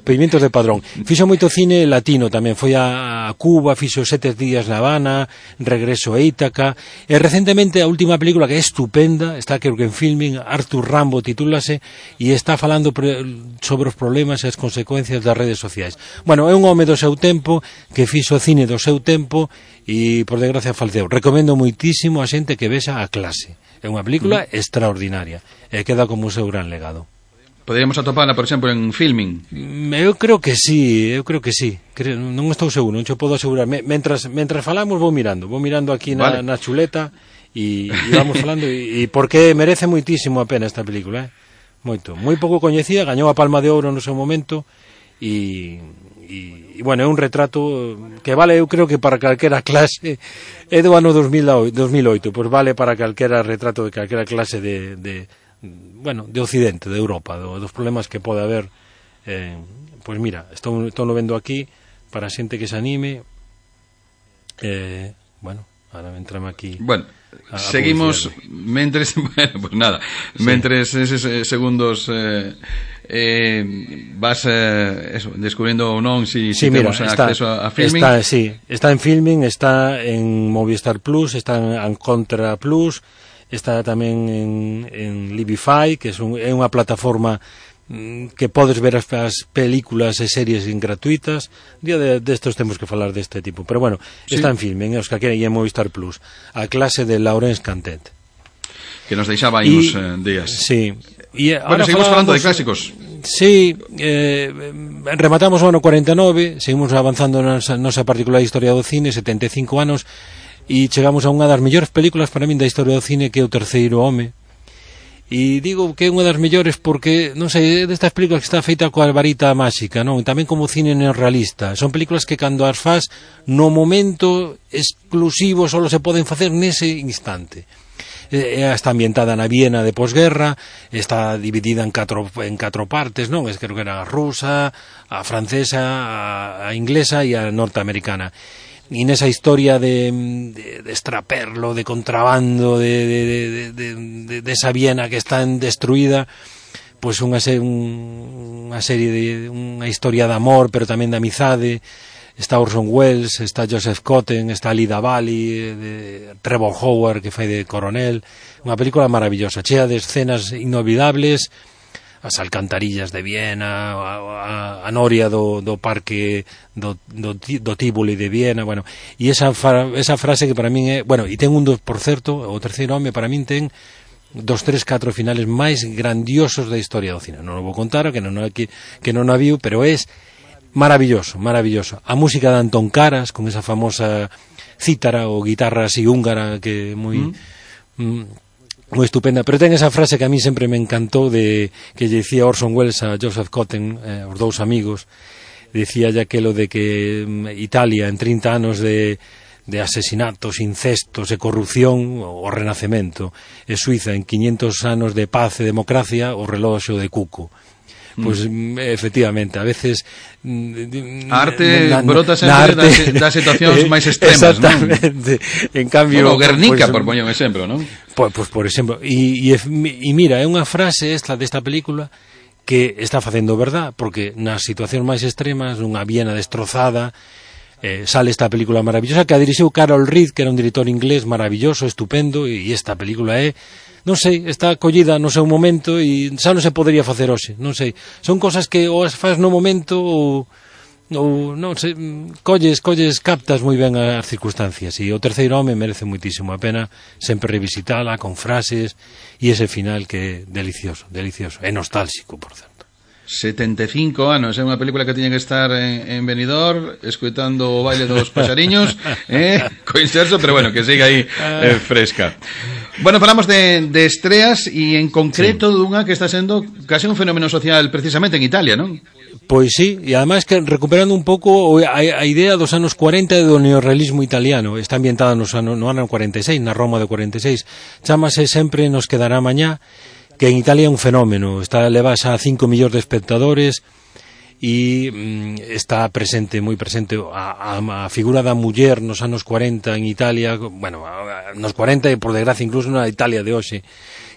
Pimientos de Padrón. Fixo moito cine latino tamén, foi a Cuba, fixo 7 días na Habana, Regreso a Ítaca, e recentemente a última película que é estupenda, está creo que en Filming, Arthur Rambo titúlase, e está falando sobre os problemas e as consecuencias das redes sociais. Bueno, é un home do seu tempo, que fixo cine do seu tempo, e por desgracia faleceu. Recomendo moitísimo a xente que vexa A Clase. É unha película extraordinaria, e queda como o seu gran legado. Poderíamos atopala, por exemplo, en Filmin. Eu creo que sí. Non estou seguro, non che podo asegurar. Mentras falamos vou mirando aquí na chuleta e vamos falando e porque merece moitísimo a pena esta película, moito. Moi pouco coñecida, gañou a Palma de Ouro no seu momento e bueno, é un retrato que vale, eu creo que para calquera clase, é do ano 2008, pois vale para calquera retrato de calquera clase de Occidente, de Europa, dos problemas que pode haber. Pois mira, estou vendo aquí para a xente que se anime. Ahora entrame aquí. Bueno, seguimos mentres, pues nada, mentres eses segundos vas descubrindo ou non si temos acceso a Filmin. Está en Filmin, está en Movistar Plus, está en Contra Plus, está tamén en Libify, que é unha plataforma que podes ver as películas e series gratuitas. Día destos temos que falar deste tipo, pero bueno, está en Filmin, os que queren, e en Movistar Plus, a clase de Laurence Cantet, que nos deixaba aí uns días. Sí. Bueno, seguimos falando de clásicos. Sí, rematamos o ano 49, seguimos avanzando na nosa particular historia do cine, 75 anos, e chegamos a unha das mellores películas para min da historia do cine, que é O terceiro home. E digo que é unha das mellores porque, non sei, destas películas que está feita coa varita máxica, non? Tamén como cine neorrealista. Son películas que cando as faz no momento exclusivo só se poden facer nese instante. Está ambientada na Viena de posguerra, está dividida en catro partes, non? Creo que era a rusa, a francesa, a inglesa e a norteamericana. E nesa historia de extraperlo, de contrabando, de esa Viena que está destruída, pois unha serie de unha historia de amor, pero tamén de amizade. Está Orson Welles, está Joseph Cotten, está Lida Valli, Trevor Howard, que fai de coronel. Unha película maravillosa, chea de escenas inolvidables, as alcantarillas de Viena, a noria do parque do Tívoli de Viena, bueno, e esa frase que para min é, bueno, e ten por certo, O terceiro home para min ten 2, 3, 4 finales máis grandiosos da historia do cine. Non o vou contar, que non a viu, pero é maravilloso. A música de Antón Caras, con esa famosa cítara ou guitarra así húngara que é moi estupenda, pero ten esa frase que a mí sempre me encantou, que lle dicía Orson Welles a Joseph Cotten, os dous amigos, dicía ya aquelo de que Italia en 30 anos de asesinatos, incestos e corrupción, o Renacemento, e Suiza en 500 anos de paz e democracia, o reloxo de Cuco. Pois, efectivamente, a veces a arte brota sempre das situacións máis extremas, exactamente, non? En cambio, bueno, Guernica, por poñer un exemplo, non? Pois por exemplo, e mira, é unha frase desta película que está facendo verdad, porque nas situacións máis extremas, nunha Viena destrozada, sale esta película maravillosa que a dirixiu Carol Reed, que era un director inglés maravilloso, estupendo, e esta película é, non sei, está collida no seu momento e xa non se podería facer hoxe, non sei. Son cosas que ou as faz no momento ou non sei, colles, captas moi ben as circunstancias, e O terceiro home merece moitísimo a pena sempre revisitala con frases e ese final que é delicioso, é nostálxico, por certo. 75 anos, é unha película que tiña que estar en Benidorm escoitando o baile dos paxariños, co inserso, pero bueno, que siga aí fresca. Bueno, falamos de estreas e en concreto dunha que está sendo case un fenómeno social precisamente en Italia, non? Pois sí, e ademais que recuperando un pouco a idea dos anos 40 do neorrealismo italiano, está ambientada no ano 46, na Roma de 46, chámase Sempre nos quedará mañá, que en Italia é un fenómeno, leva xa 5 millóns de espectadores e está moi presente a figura da muller nos anos 40 en Italia, bueno, nos 40 e por desgracia incluso na Italia de hoxe,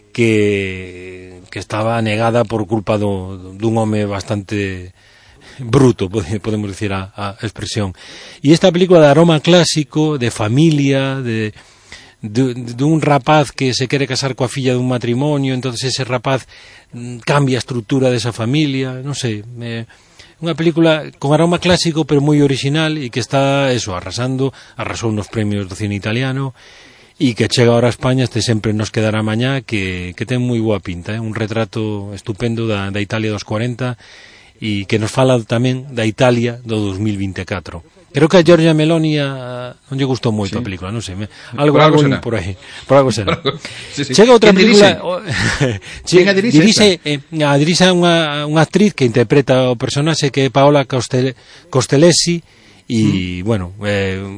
que estaba negada por culpa dun home bastante bruto, podemos dicir a expresión. E esta película de aroma clásico, de familia, dun rapaz que se quere casar coa filla dun matrimonio, entonces ese rapaz cambia a estrutura desa familia, non sei, unha película con aroma clásico pero moi original e que está arrasou nos premios do cine italiano e que chega ahora a España, este Sempre nos quedará mañá, que ten moi boa pinta, un retrato estupendo da Italia dos 40 e que nos fala tamén da Italia do 2024. Creo que a Giorgia Meloni non lle gustou moito a película, non sei, algo por aí, por algo será. Chega outra película, dirise unha actriz que interpreta o personaxe, que é Paola Costellesi, e, bueno,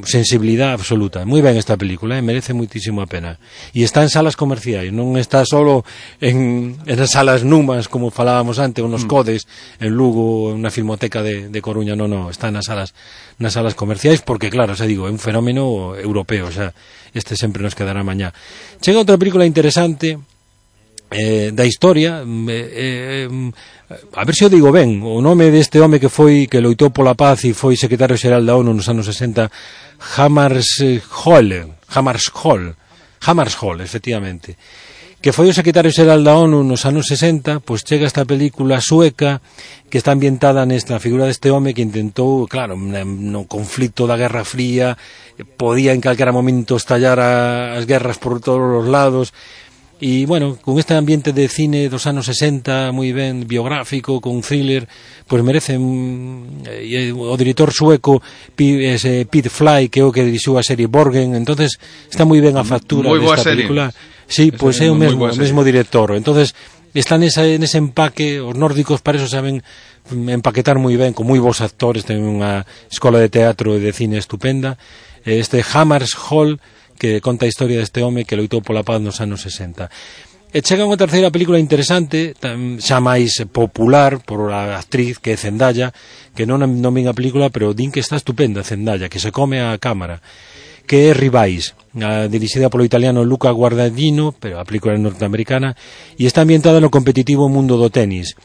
sensibilidade absoluta. Moi ben esta película, merece moitísimo a pena. E está en salas comerciais, non está solo en salas numas, como falábamos antes, ou nos Codes, en Lugo, na Filmoteca de Coruña, non, está nas salas comerciais, porque, claro, xa digo, é un fenómeno europeo, xa, este Sempre nos quedará mañá. Chega outra película interesante, da historia, a ver se o digo ben, o nome deste home que loitou pola paz e foi secretario xeral da ONU nos anos 60, Hammarskjöld, efectivamente, que foi o secretario xeral da ONU nos anos 60, pois chega esta película sueca que está ambientada nesta figura deste home que intentou, claro, no conflito da Guerra Fría, podía en calquera momento estallar as guerras por todos os lados. E, bueno, con este ambiente de cine dos anos 60, moi ben biográfico, con thriller, pois merece o director sueco Pete Fly, que é o que dirixiu a serie Borgen, entonces está moi ben a factura desta película. Sí, pois é o mesmo director. Entonces está nese empaque, os nórdicos para eso saben empaquetar moi ben, con moi bons actores, ten unha escola de teatro e de cine estupenda. Este Hammarskjöld, que conta a historia deste home que loitou pola paz nos anos 60. E chega unha terceira película interesante, xa máis popular por a actriz, que é Zendaya, que non vin a película, pero din que está estupenda Zendaya, que se come a cámara, que é Rivais, dirixida polo italiano Luca Guadagnino, pero a película é norteamericana, e está ambientada no competitivo mundo do tenis.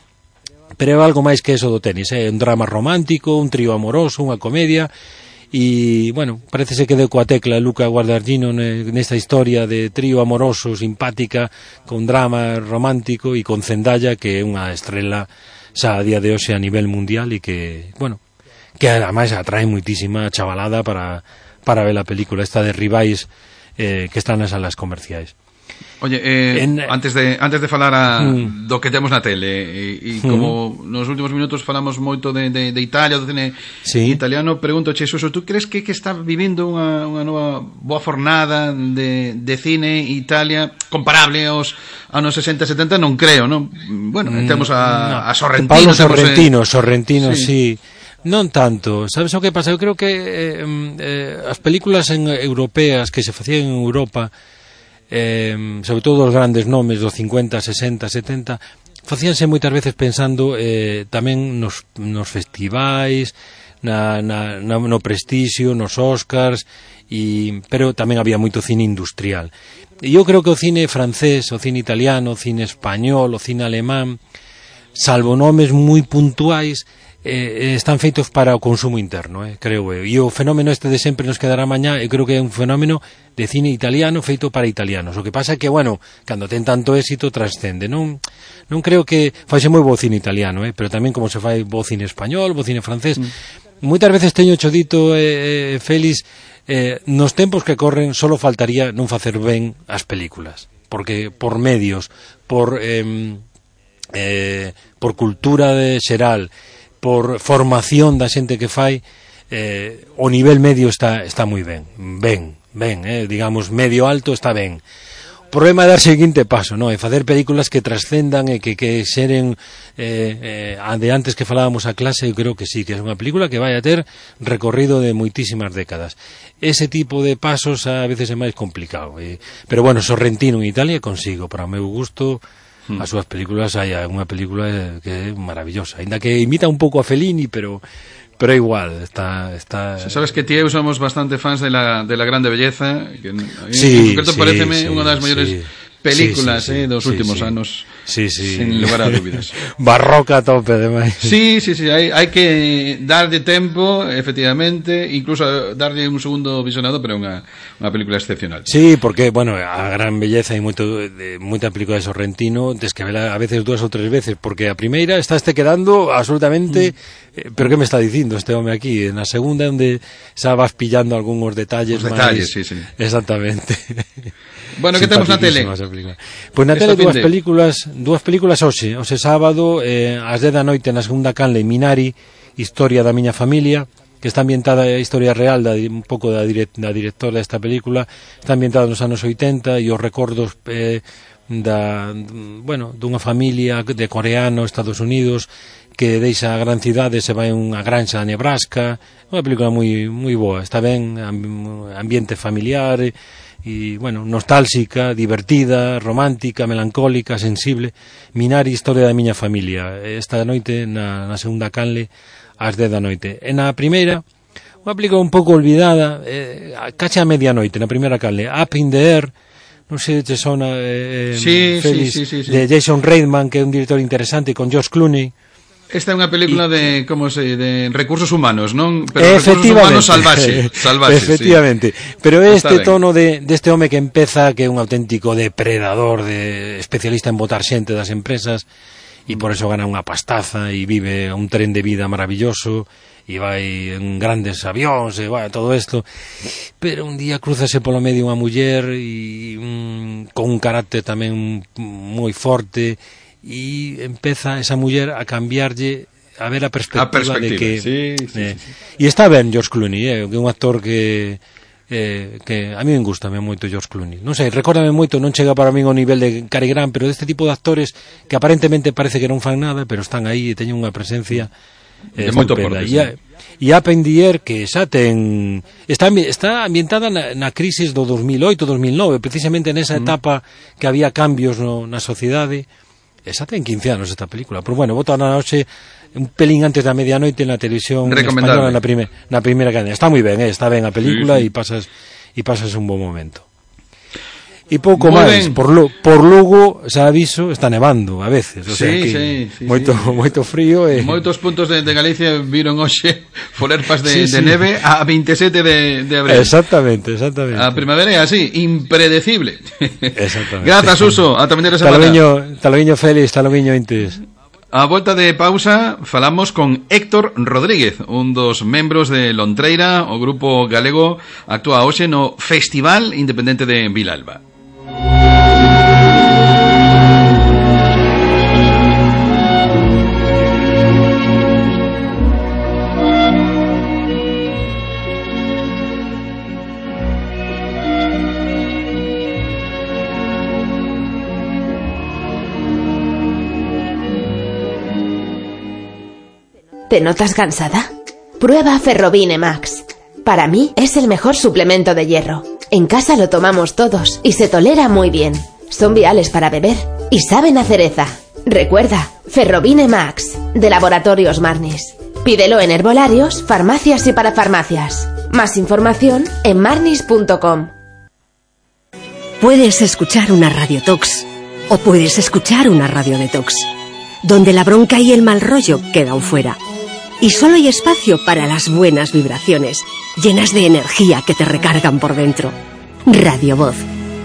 Pero é algo máis que eso do tenis, é un drama romántico, un trío amoroso, unha comedia. E, bueno, parece que deu coa tecla Luca Guadagnino nesta historia de trío amoroso, simpática, con drama romántico, e con Zendaya, que é unha estrela xa a día de hoxe a nivel mundial e que, bueno, que ademais atrae moitísima chavalada para ver a película esta de Rivais, que está nas salas comerciais. Oye, antes de falar do que temos na tele e como nos últimos minutos falamos moito de Italia, do cine italiano, pregunto, Xesuso, tú crees que está vivindo unha nova boa fornada de cine Italia comparable aos anos 60-70? Non creo, non? Bueno, temos a Sorrentino. Sorrentino, sí. Non tanto, sabes o que pasa? Eu creo que as películas europeas que se facían en Europa, sobre todo os grandes nomes dos 50, 60, 70, facíanse moitas veces pensando tamén nos festivais, no prestixio, nos Oscars, pero tamén había moito cine industrial. E eu creo que o cine francés, o cine italiano, o cine español, o cine alemán, salvo nomes moi puntuais, están feitos para o consumo interno, creo eu. E o fenómeno este de Sempre nos quedará mañá, eu creo que é un fenómeno de cine italiano feito para italianos. O que pasa é que, bueno, cando ten tanto éxito trascende. Non creo que faise moi bo cine italiano, pero tamén como se fai bo cine español, bo cine francés. Moitas veces teño dito, Félix, nos tempos que corren solo faltaría non facer ben as películas, porque por medios, por cultura xeral, por formación da xente que fai, o nivel medio está moi ben, digamos, medio alto está ben. O problema é dar o seguinte paso, non? É facer películas que trascendan e que xeren de antes que falábamos a clase. Eu creo que sí, que é unha película que vai a ter recorrido de moitísimas décadas. Ese tipo de pasos a veces é máis complicado, pero bueno, Sorrentino en Italia consigo, para o meu gusto. As súas películas, hai unha película que é maravillosa, ainda que imita un pouco a Fellini, pero igual está. Sabes que ti e eu somos bastante fans de la Grande Belleza, que sí, en concreto pareceme unha das maiores películas dos últimos anos. Sí, sí. Sin lugar a dúbidas. Barroca a tope, además. Sí, hai que darlle tempo, efectivamente, incluso darlle un segundo visionado, pero é unha película excepcional. Sí, porque, bueno, a gran belleza hai moita película de Sorrentino, tes que vela a veces 2 ou 3 veces, porque a primeira estáste quedando absolutamente... pero que me está dicindo este home aquí? Na segunda, onde xa vas pillando algúns detalles máis... detalles, sí. Exactamente. Bueno, que temos na tele? Pois na tele dúas películas hoxe sábado, ás 10 da noite na segunda canle, Minari, Historia da miña familia, que está ambientada a historia real un pouco da directora desta película, está ambientada nos anos 80 e os recordos dunha familia de coreano, Estados Unidos, que deixa a gran cidade, se vai a unha granxa a Nebraska. Unha película moi boa, está ben, ambiente familiar e, bueno, nostálxica, divertida, romántica, melancólica, sensible. Minari, Historia da miña familia, esta noite na segunda canle ás 10 da noite. E na primeira, unha película un pouco olvidada, cacha a medianoite, na primeira canle, Up in the Air, non sei se te sona, Félix, de Jason Reitman, que é un director interesante, con George Clooney. Esta é unha película de recursos humanos, non? Pero recursos humanos salvaxe. Efectivamente. Sí. Pero este tono deste home que empeza, que é un auténtico depredador, especialista en botar xente das empresas, e por eso gana unha pastaza e vive un tren de vida maravilloso e vai en grandes avións e todo isto, pero un día cruzase polo medio unha muller e con un carácter tamén moi forte, e empeza esa muller a cambiarlle, a ver a perspectiva de que sí. E está ben George Clooney, que é un actor que a mí me gusta moito George Clooney, non sei, recórdame moito, non chega para mí ao nivel de Cary Grant, pero deste tipo de actores que aparentemente parece que non fan nada, pero están aí e teñen unha presencia de moito porte. E Up in the Air, que xa está ambientada na crisis do 2008-2009, precisamente nesa etapa que había cambios na sociedade. Esa ten 15 anos esta película, pero bueno, bota na noche un pelín antes da medianoite na televisión española na primeira cadena. Está moi ben, está ben a película e pasas un bon momento. E pouco máis, por Lugo, xa aviso, está nevando a veces, o sea que moito frío e... Moitos puntos de Galicia viron hoxe folerpas de neve a 27 de abril. Exactamente. A primavera é así, impredecible. Exactamente. Grazas, Suso, ata vindeira semana. Taloviño Félix, taloviño Intes. A volta de pausa falamos con Héctor Rodríguez, un dos membros de Lontreira, o grupo galego actúa hoxe no Festival Independente de Vilalba. ¿Te notas cansada? Prueba Ferrobine Max. Para mí es el mejor suplemento de hierro. En casa lo tomamos todos y se tolera muy bien. Son viales para beber y saben a cereza. Recuerda, Ferrobine Max, de Laboratorios Marnis. Pídelo en herbolarios, farmacias y parafarmacias. Más información en marnis.com. Puedes escuchar una radiotox o puedes escuchar una radiodetox, donde la bronca y el mal rollo quedan fuera. Y solo hay espacio para las buenas vibraciones, llenas de energía que te recargan por dentro. Radio Voz,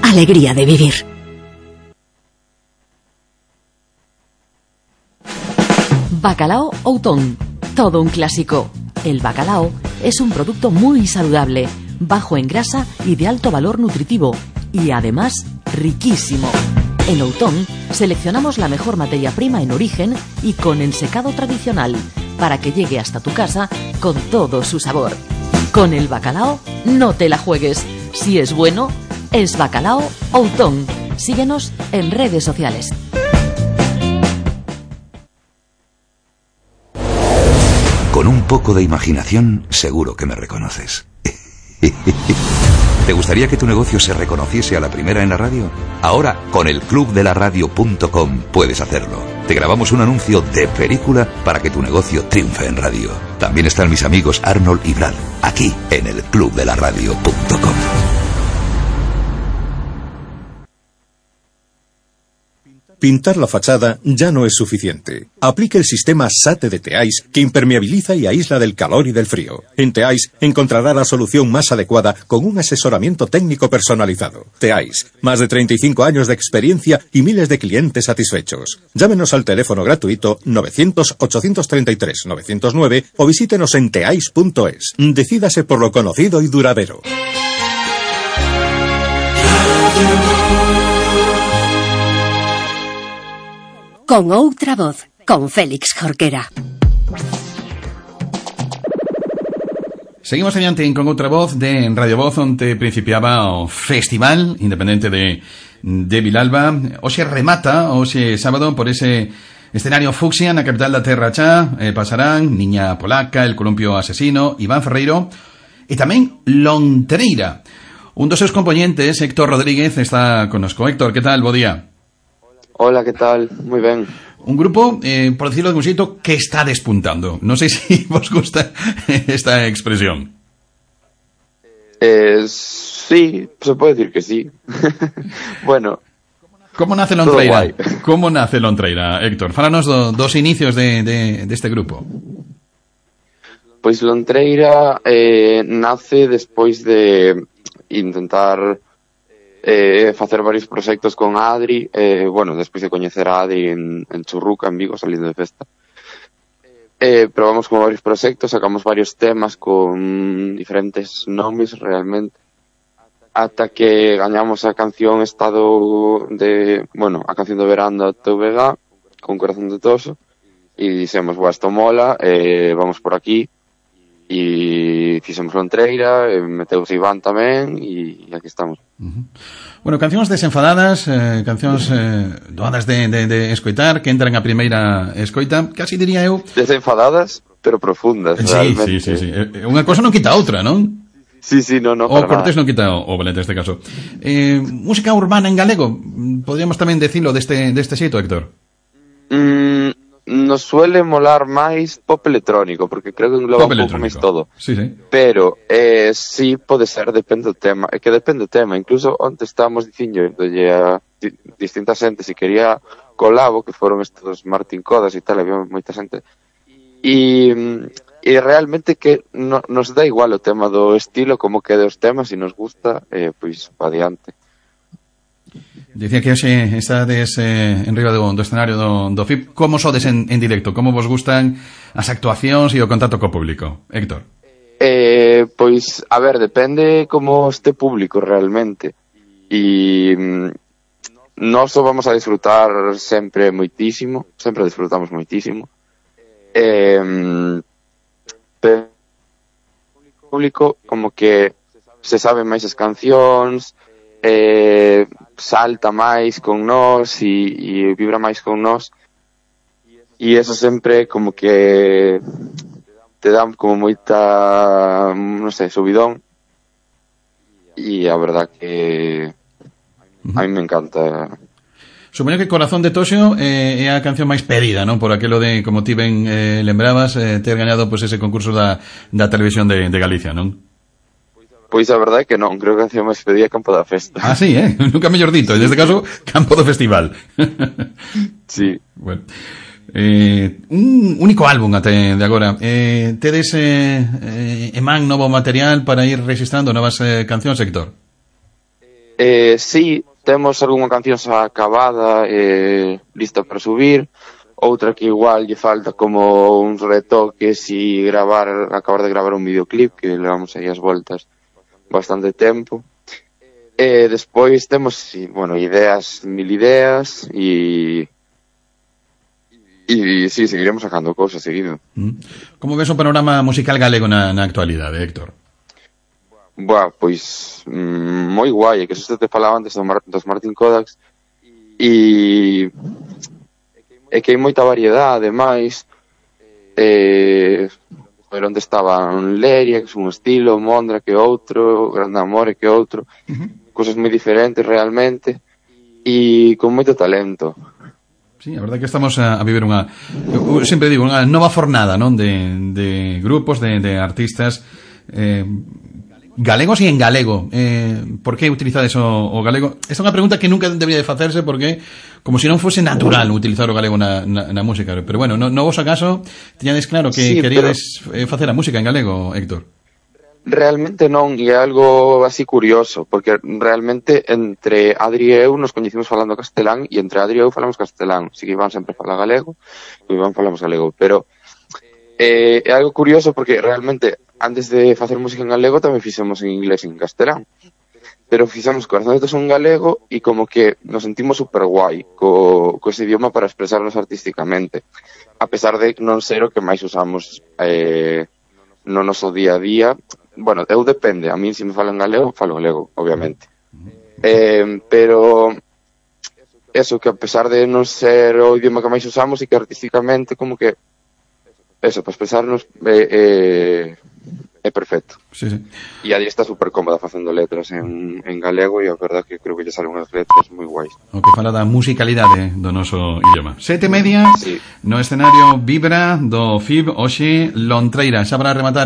alegría de vivir. Bacalao Outón, todo un clásico. El bacalao es un producto muy saludable, bajo en grasa y de alto valor nutritivo, y además riquísimo. En Outón seleccionamos la mejor materia prima en origen y con ensecado tradicional, para que llegue hasta tu casa con todo su sabor. Con el bacalao no te la juegues. Si es bueno, es Bacalao Outón. Síguenos en redes sociales. Con un poco de imaginación, seguro que me reconoces. ¿Te gustaría que tu negocio se reconociese a la primera en la radio? Ahora, con el clubdelaradio.com puedes hacerlo. Te grabamos un anuncio de película para que tu negocio triunfe en radio. También están mis amigos Arnold y Brad, aquí en el clubdelaradio.com. pintar la fachada ya no es suficiente. Aplique el sistema SATE de Teais, que impermeabiliza y aísla del calor y del frío. En Teais encontrará la solución más adecuada con un asesoramiento técnico personalizado. Teais, más de 35 años de experiencia y miles de clientes satisfechos. Llámenos al teléfono gratuito 900-833-909 o visítenos en teais.es. Decídase por lo conocido y duradero. Con outra voz, con Félix Jorquera. Seguimos adiante con outra voz de Radio Voz, onde principiaba o Festival Independente de Vilalba. Hoxe remata, hoxe sábado, por ese escenario fucsia na capital da Terra Chá. Pasarán Niña Polaca, El Columpio Asesino, Iván Ferreiro e tamén Lontreira. Un dos seus componentes, Héctor Rodríguez, está connosco. Héctor, que tal? Bo día. Hola, ¿qué tal? Muy ben. Un grupo, por decirlo de un xeito, que está despuntando. Non sei se vos gusta esta expresión. Sí, se puede decir que sí. Bueno. Como nace Lontreira? Como nace Lontreira, Héctor? Fálanos dos inicios de este grupo. Pois Lontreira nace despois de intentar facer varios proxectos con Adri, despois de coñecer a Adri en Churruca, en Vigo, salindo de festa. Probamos con varios proxectos, sacamos varios temas con diferentes nomes realmente, ata que gañamos a canción Estado de, a canción do verán da TVG, con Corazón de Toso, e dixemos, isto mola, vamos por aquí, e fixemos Lontreira, meteuse Iván tamén, e aquí estamos. Bueno, cancións desenfadadas, cancións doadas de escoitar, que entran a primeira escoita, casi diría eu... Desenfadadas, pero profundas, realmente. Sí. Unha cosa non quita a outra, non? Sí, non, o Cortés non quita o Valente, neste caso. Música urbana en galego, podríamos tamén decirlo deste xeito, Héctor? Nos suele molar máis pop electrónico, porque creo que engloba un pouco máis todo. Sí. Pero sí pode ser, depende do tema. É que depende do tema. Incluso onte estábamos dicindo a distintas xente se quería colabo, que foron estos Martín Codas e tal, había moita xente. E realmente que nos dá igual o tema do estilo, como quede os temas, e nos gusta, pois pa diante. Dicía que hoxe estades en riba do escenario do FIP. Como sodes en directo? Como vos gustan as actuacións e o contacto co público? Héctor? Pois, a ver, depende como este público realmente. E nós vamos a disfrutar sempre moitísimo, sempre disfrutamos moitísimo. Pero o público como que se sabe máis as cancións, salta máis con nós e vibra máis con nós, e eso sempre como que te dá como moita, non sei, subidón, e a verdad que a mí me encanta. Supoño que Corazón de Toxo é a canción máis pedida, non? Por aquelo de, como ti ben lembrabas, ter gañado ese concurso da televisión de Galicia, non? Pois a verdade é que non, creo que a canción máis pedida é Campo da Festa. Ah, sí, nunca mellor dito, en este caso, Campo do Festival. Sí. Bueno. Un único álbum até de agora. Tedes emán novo material para ir registrando novas cancións, Héctor? Sí, temos algunha canción xa acabada, lista para subir, outra que igual lle falta como uns retoques e acabar de gravar un videoclip, que levamos aí as voltas bastante tempo. Despois temos, mil ideas e sí, seguiremos sacando cousas seguido. Como ves o panorama musical galego na actualidade, Héctor? Pois moi guai, que se te falaba antes dos Martín Codas, e que hai moita variedade, ademais, onde estaban Leria, que é un estilo, Mondra que outro, Grande Amore que outro, cosas moi diferentes realmente, e con moito talento. Sí, a verdade que estamos a viver eu sempre digo, unha nova fornada, non? De grupos, de artistas galegos e en galego. Por que utilizades o galego? Esta é unha pregunta que nunca debía de facerse porque como se non fose natural utilizar o galego na música. Pero bueno, no vos acaso tiñades claro que sí, queríades facer a música en galego, Héctor? Realmente non, e é algo así curioso, porque realmente entre Adri e eu nos coñecimos falando castelán, e entre Adri e eu falamos castelán. Si que Iván sempre fala galego, e Iván falamos galego, pero é algo curioso porque realmente antes de facer música en galego tamén fixemos en inglés e en castelán, pero fixemos Corazón de Tesón en galego e como que nos sentimos super guai co ese idioma para expresarnos artísticamente, a pesar de non ser o que máis usamos no noso día a día. Bueno, eu depende, a mí se me falo en galego, falo galego, obviamente, pero eso, que a pesar de non ser o idioma que máis usamos e que artísticamente como que eso, para expresarnos é perfecto. Sí, sí. E Adri está super cómoda facendo letras en galego e a verdad que creo que lle salen unhas letras moi guais. O que fala da musicalidade do noso idioma. 7:30, sí. No escenario Vibra do FIB, hoxe Lontreira. Xa para rematar,